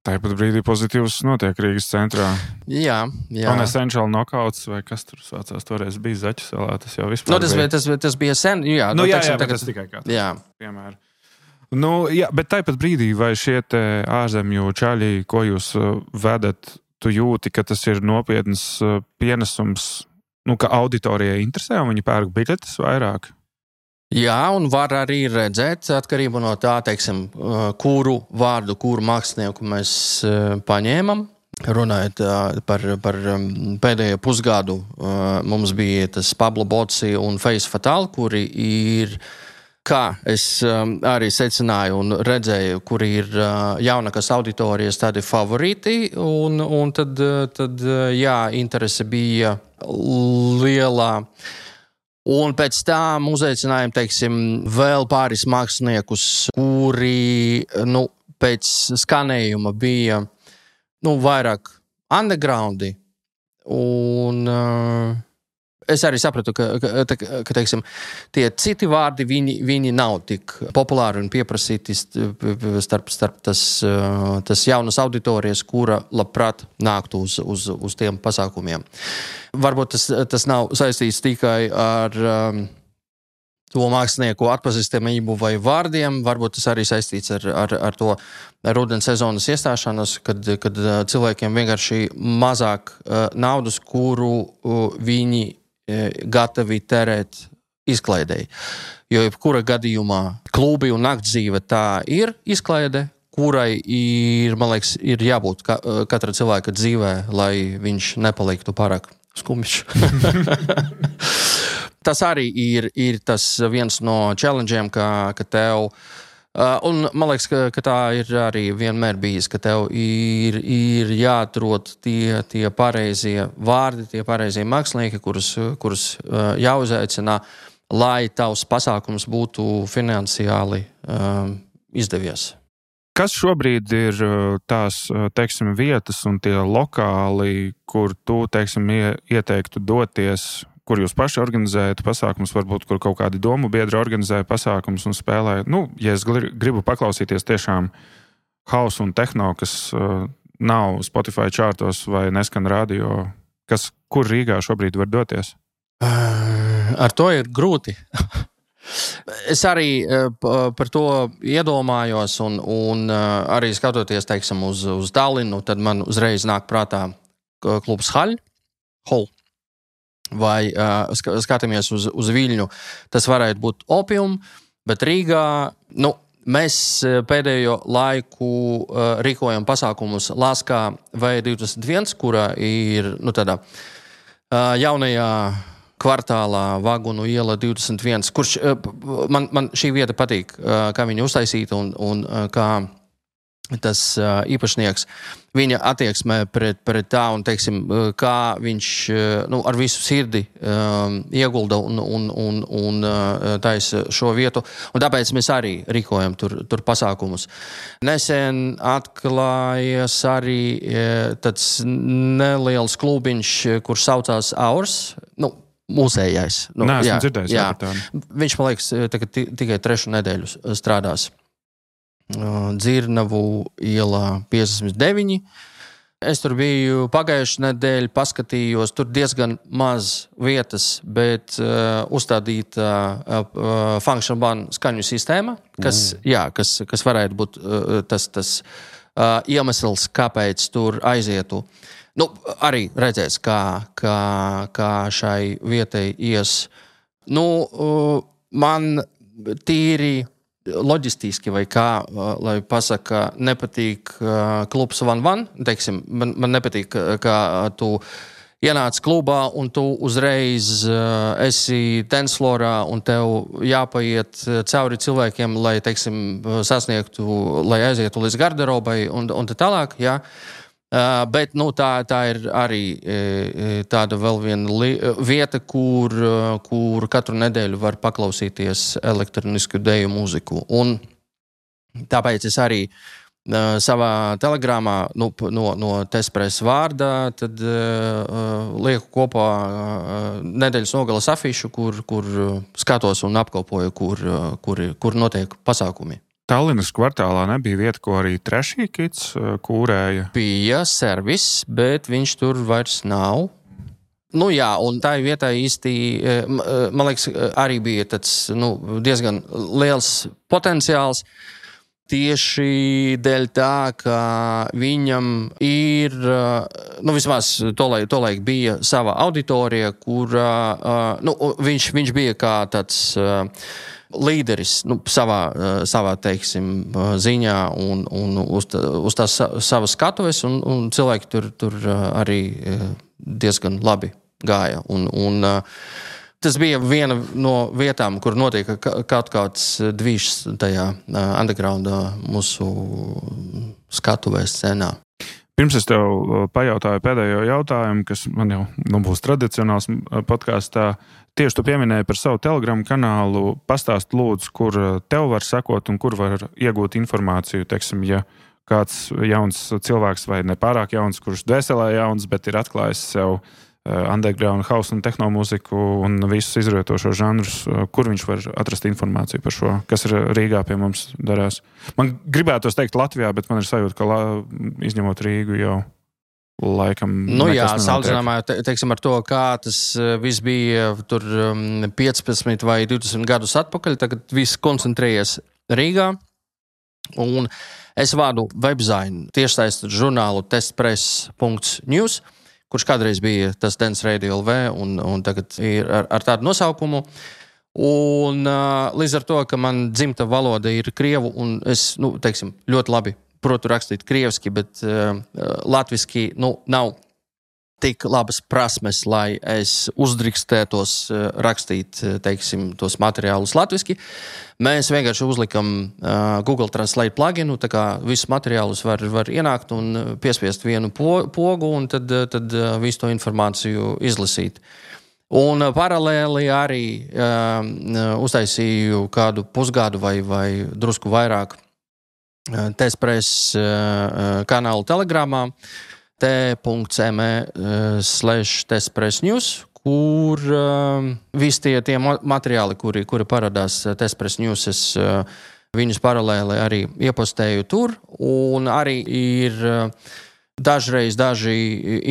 Tāpat brīdī pozitīvs notiek Rīgas centrā. Jā, jā. Un Essential Knockouts, vai kas tur saucās, toreiz bija Zaķu salā, tas jau vispār no, tas, bija. Tas, tas bija sen, jā. Nu, no, jā, teiksim, jā, tagad, tas tikai kā jā. Piemēram. Nu, jā, bet tāpat brīdī, vai šie te ārzemju čaļi, ko jūs uh, vedat, tu jūti, ka tas ir nopietns uh, pienesums, nu, ka auditorijai interesē un viņi pērk biļetes vairāk? Jā, un var arī redzēt, atkarībā no tā, teiksim, kuru vārdu, kuru mākslinieku mēs paņēmam. Runājot par, par pēdējo pusgadu, mums bija tas Pablo Bocci un Face Fatal, kuri ir, kā es arī secināju un redzēju, kuri ir jaunākas auditorijas tādi favorīti, un, un tad, tad, jā, interese bija lielā. Un pēc tam uzaicinājām, teiksim, vēl pāris māksliniekus, kuri, nu, pēc skanējuma bija, nu, vairāk undergroundi. Un uh, es arī sapratu, ka, ka, ka teiksim, tie citi vārdi, viņi, viņi nav tik populāri un pieprasīti starp, starp tas, tas jaunas auditorijas, kura labprāt nāktu uz, uz, uz tiem pasākumiem. Varbūt tas, tas nav saistīts tikai ar um, to mākslinieku atpazīstamību vai vārdiem, varbūt tas arī saistīts ar, ar, ar to rudens sezonas iestāšanos, kad, kad cilvēkiem vienkārši mazāk uh, naudas, kuru uh, viņi gatavi terēt izklaidei. Jo jebkura gadījumā klubi un naktdzīve tā ir izklaide, kurai ir, man liekas, ir jābūt ka, katra cilvēka dzīvē, lai viņš nepaliktu pārāk skumjš. Tas arī ir, ir tas viens no challenge'iem, ka, ka tev Uh, un man liekas, ka, ka tā ir arī vienmēr bijis, ka tev ir, ir jāatrod tie, tie pareizie vārdi, tie pareizie mākslinieki, kurus, kurus uh, jāuzaicina, lai tavs pasākums būtu finansiāli um, izdevies. Kas šobrīd ir tās, teiksim, vietas un tie lokāli, kur tu, teiksim, ieteiktu doties, kur jūs paši organizējat pasākumus, varbūt, kur kaut kādi domu biedri organizēja pasākumus un spēlē? Nu, ja es gribu paklausīties tiešām hausu un tehno, kas uh, nav Spotify čārtos vai neskan radio, kas, kur Rīgā šobrīd var doties? Uh, ar to ir grūti. Es arī uh, par to iedomājos un, un uh, arī skatoties, teiksim, uz, uz Tallinu, tad man uzreiz nāk prātā klubs Haļ, Hol. Vai uh, skatāmies uz, uz Viļņu, tas varētu būt Opium, bet Rīgā, nu, mēs pēdējo laiku uh, rīkojam pasākumus Laskā V divdesmit viens, kura ir, nu, tādā uh, jaunajā kvartālā Vagunu iela divdesmit viens, kurš uh, man, man šī vieta patīk, uh, kā viņa uztaisīta un, un uh, kā tas uh, īpašnieks, viņa attieksmē pret, pret tā un, teiksim, kā viņš nu, ar visu sirdi um, iegulda un, un, un, un uh, taisa šo vietu. Un tāpēc mēs arī rīkojam tur, tur pasākumus. Nesen atklājies arī uh, tāds neliels klubiņš, kurš saucās Aurs. Nu, mūsējais. Nu, Nē, esmu jā, dzirdējis. Jā. Jā, viņš, man liekas, tagad tikai trešu nedēļu strādās. Dzirnavu ielā piecdesmit deviņi. Es tur biju pagājušajā nedēļā, paskatījos, tur diezgan maz vietas, bet uh, uzstādīta uh, function ban skaņu sistēma, kas, mm. jā, kas, kas varētu būt uh, tas, tas uh, iemesls, kāpēc tur aizietu. Nu, arī redzēs, kā, kā, kā šai vietai ies. Nu, uh, man tīri loģistiski vai kā, lai pasaka, nepatīk uh, klubs Van Van, teiksim, man, man nepatīk, kā tu ienāc klubā un tu uzreiz uh, esi tenslorā un tev jāpaiet cauri cilvēkiem, lai, teiksim, sasniegtu, lai aizietu līdz garderobai un, un tā tālāk, jā. Uh, bet, nu, tā, tā ir arī e, tāda vēl viena li, vieta, kur, kur katru nedēļu var paklausīties elektronisku deju mūziku. Un tāpēc es arī uh, savā telegramā nu, no, no Tespres vārdā tad uh, lieku kopā uh, nedēļas nogalas afišu, kur, kur skatos un apkopoju, kur, kur, kur notiek pasākumi. Tallinas kvartālā nebija vieta, ko arī Trešī Kids kūrēja? Bija servis, bet viņš tur vairs nav. Nu jā, un tā vietā īsti, man liekas, arī bija tāds nu, diezgan liels potenciāls. Tieši dēļ tā, ka viņam ir, nu vismaz tolaik, tolaik bija sava auditorija, kur nu, viņš, viņš bija kā tāds līderis nu, savā, savā teiksim, ziņā un, un uz, tā, uz tās savas skatuves, un, un cilvēki tur, tur arī diezgan labi gāja. Un, un, tas bija viena no vietām, kur notika kaut kāds dvīšs tajā undergroundā mūsu skatuvē scenā. Pirms es tev pajautāju pēdējo jautājumu, kas man jau nu, būs tradicionāls podkāstā. Tieši tu pieminēji par savu Telegram kanālu. Pastāst lūdzu, kur tev var sekot un kur var iegūt informāciju. Teiksim, ja kāds jauns cilvēks vai nepārāk jauns, kurš dvēselē jauns, bet ir atklājis sev underground house un tehnomūziku un visus izrietošos žanrus, kur viņš var atrast informāciju par šo, kas ir Rīgā pie mums darās. Man gribētos teikt Latvijā, bet man ir sajūta, ka la, izņemot Rīgu jau laikam... Nu jā, salīdzinājumā, te, teiksim, ar to, kā tas viss bija tur piecpadsmit vai divdesmit gadus atpakaļ, tagad viss koncentrējies Rīgā. Un es vādu webzainu tiešsaistes žurnālu testpress punkts news, kurš kādreiz bija tas Dance Radio L V un, un tagad ir ar, ar tādu nosaukumu. Un uh, līdz ar to, ka man dzimta valoda ir krievu un es, nu, teiksim, ļoti labi protu rakstīt krieviski, bet uh, latviski, nu, nav tik labas prasmes, lai es uzdrīkstētos uh, rakstīt, teiksim, tos materiālus latviski. Mēs vienkārši uzlikam uh, Google Translate pluginu, tā kā visus materiālus var, var ienākt un piespiest vienu po, pogu un tad, tad uh, visu to informāciju izlasīt. Un paralēli arī uh, uztaisīju kādu pusgadu vai, vai drusku vairāk T-Spress uh, kanālu Telegramā t.me slash T-Spress News, kur uh, visi tie, tie materiāli, kuri, kuri parādās T-Spress News, es uh, viņus paralēli arī iepostēju tur, un arī ir uh, dažreiz daži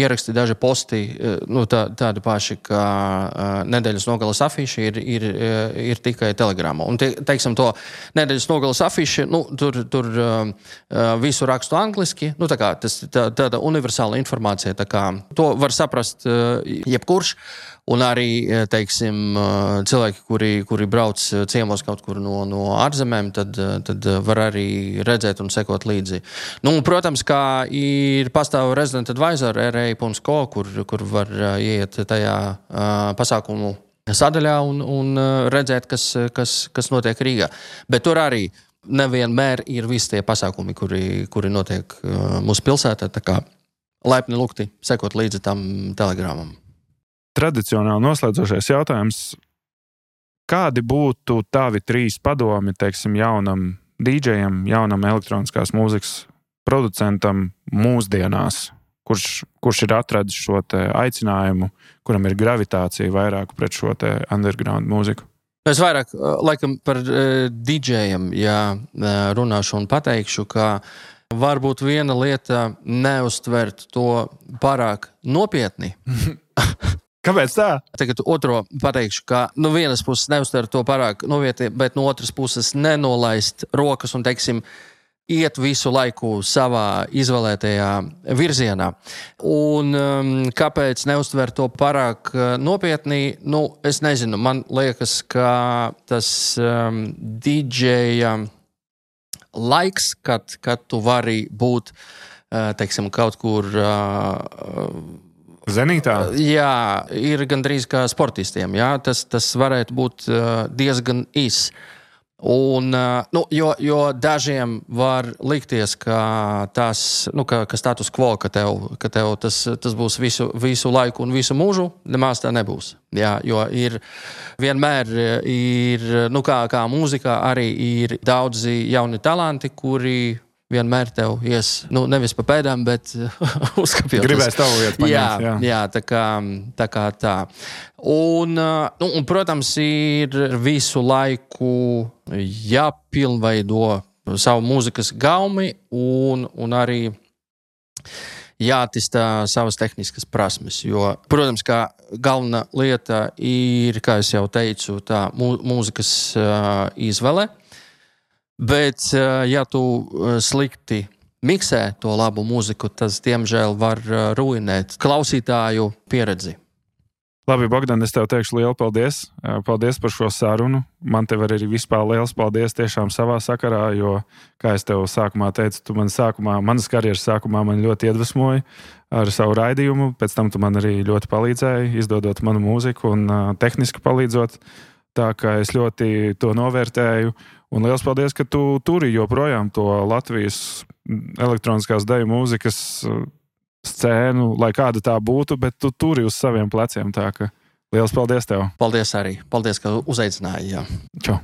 ieraksti, daži posti, nu, tā, tādi paši, kā uh, nedēļas nogalas afiši ir, ir, ir tikai Telegramā. Un, te, teiksim, to nedēļas nogalas afiši, nu, tur, tur uh, visu rakstu angliski, nu, tā kā tas tā, tāda universāla informācija, tā kā to var saprast uh, jebkurš. Un arī, teiksim, cilvēki, kuri, kuri brauc ciemos kaut kur no, no ārzemēm, tad, tad var arī redzēt un sekot līdzi. Nu, protams, kā ir pastāv Resident Advisor R A dot co, kur, kur var iet tajā uh, pasākumu sadaļā un, un redzēt, kas, kas, kas notiek Rīgā. Bet tur arī nevienmēr ir visi tie pasākumi, kuri, kuri notiek uh, mūsu pilsētā, tā kā laipni lūgti sekot līdzi tam telegramam. Tradicionāli noslēdzošais jautājums. Kādi būtu tavi trīs padomi, teiksim, jaunam dīdžejam, jaunam elektroniskās mūzikas producentam mūsdienās, kurš, kurš ir atradis šo te aicinājumu, kuram ir gravitācija vairāk pret šo te underground mūziku? Es vairāk, laikam, par uh, dīdžejam, ja runāšu un pateikšu, ka varbūt viena lieta neuztvert to pārāk nopietni. Kāpēc tā? Tagad otro pateikšu, ka no vienas puses neuztver to pārāk novietni, bet no otras puses nenolaist rokas un, teiksim, iet visu laiku savā izvēlētajā virzienā. Un um, kāpēc neuztver to pārāk uh, nopietni? Nu, es nezinu, man liekas, ka tas um, dīdžeja laiks, kad, kad tu vari būt, uh, teiksim, kaut kur... Uh, Zenītā? Jā, ir gandrīz kā sportistiem. Jā, tas, tas varētu būt uh, diezgan īs. Un, uh, nu, jo, jo dažiem var likties, ka tas, nu, ka, ka status quo, ka tev, ka tev tas, tas būs visu, visu laiku un visu mūžu, nemaz tā nebūs. Jā, jo ir vienmēr ir, nu, kā, kā mūzikā arī ir daudzi jauni talanti, kuri vienmēr tev ies, nu, nevis pa pēdām, bet uzkapjot. Gribēs tavu vietu paņemt. Jā, jā. jā tā, kā, tā kā tā. Un, nu, un, protams, ir visu laiku jāpilnveido savu mūzikas gaumi un, un arī jāattīstā savas tehniskas prasmes. Jo, protams, kā galvenā lieta ir, kā es jau teicu, tā mū, mūzikas uh, izvele. Bet, ja tu slikti miksē to labu mūziku, tas, diemžēl, var ruinēt klausītāju pieredzi. Labi, Bogdan, es tev teikšu lielu paldies. Paldies par šo sarunu. Man tev arī vispār liels paldies tiešām savā sakarā, jo, kā es tev sākumā teicu, tu man sākumā, manas karjeras sākumā man ļoti iedvesmoji ar savu raidījumu. Pēc tam tu man arī ļoti palīdzēji, izdodot manu mūziku un uh, tehniski palīdzot. Tā kā es ļoti to novērtēju. Un liels paldies, ka tu turi joprojām to Latvijas elektroniskās deju mūzikas scēnu, lai kāda tā būtu, bet tu turi uz saviem pleciem. Tā ka liels paldies tev. Paldies arī. Paldies, ka uzaicināji. Jā. Čau.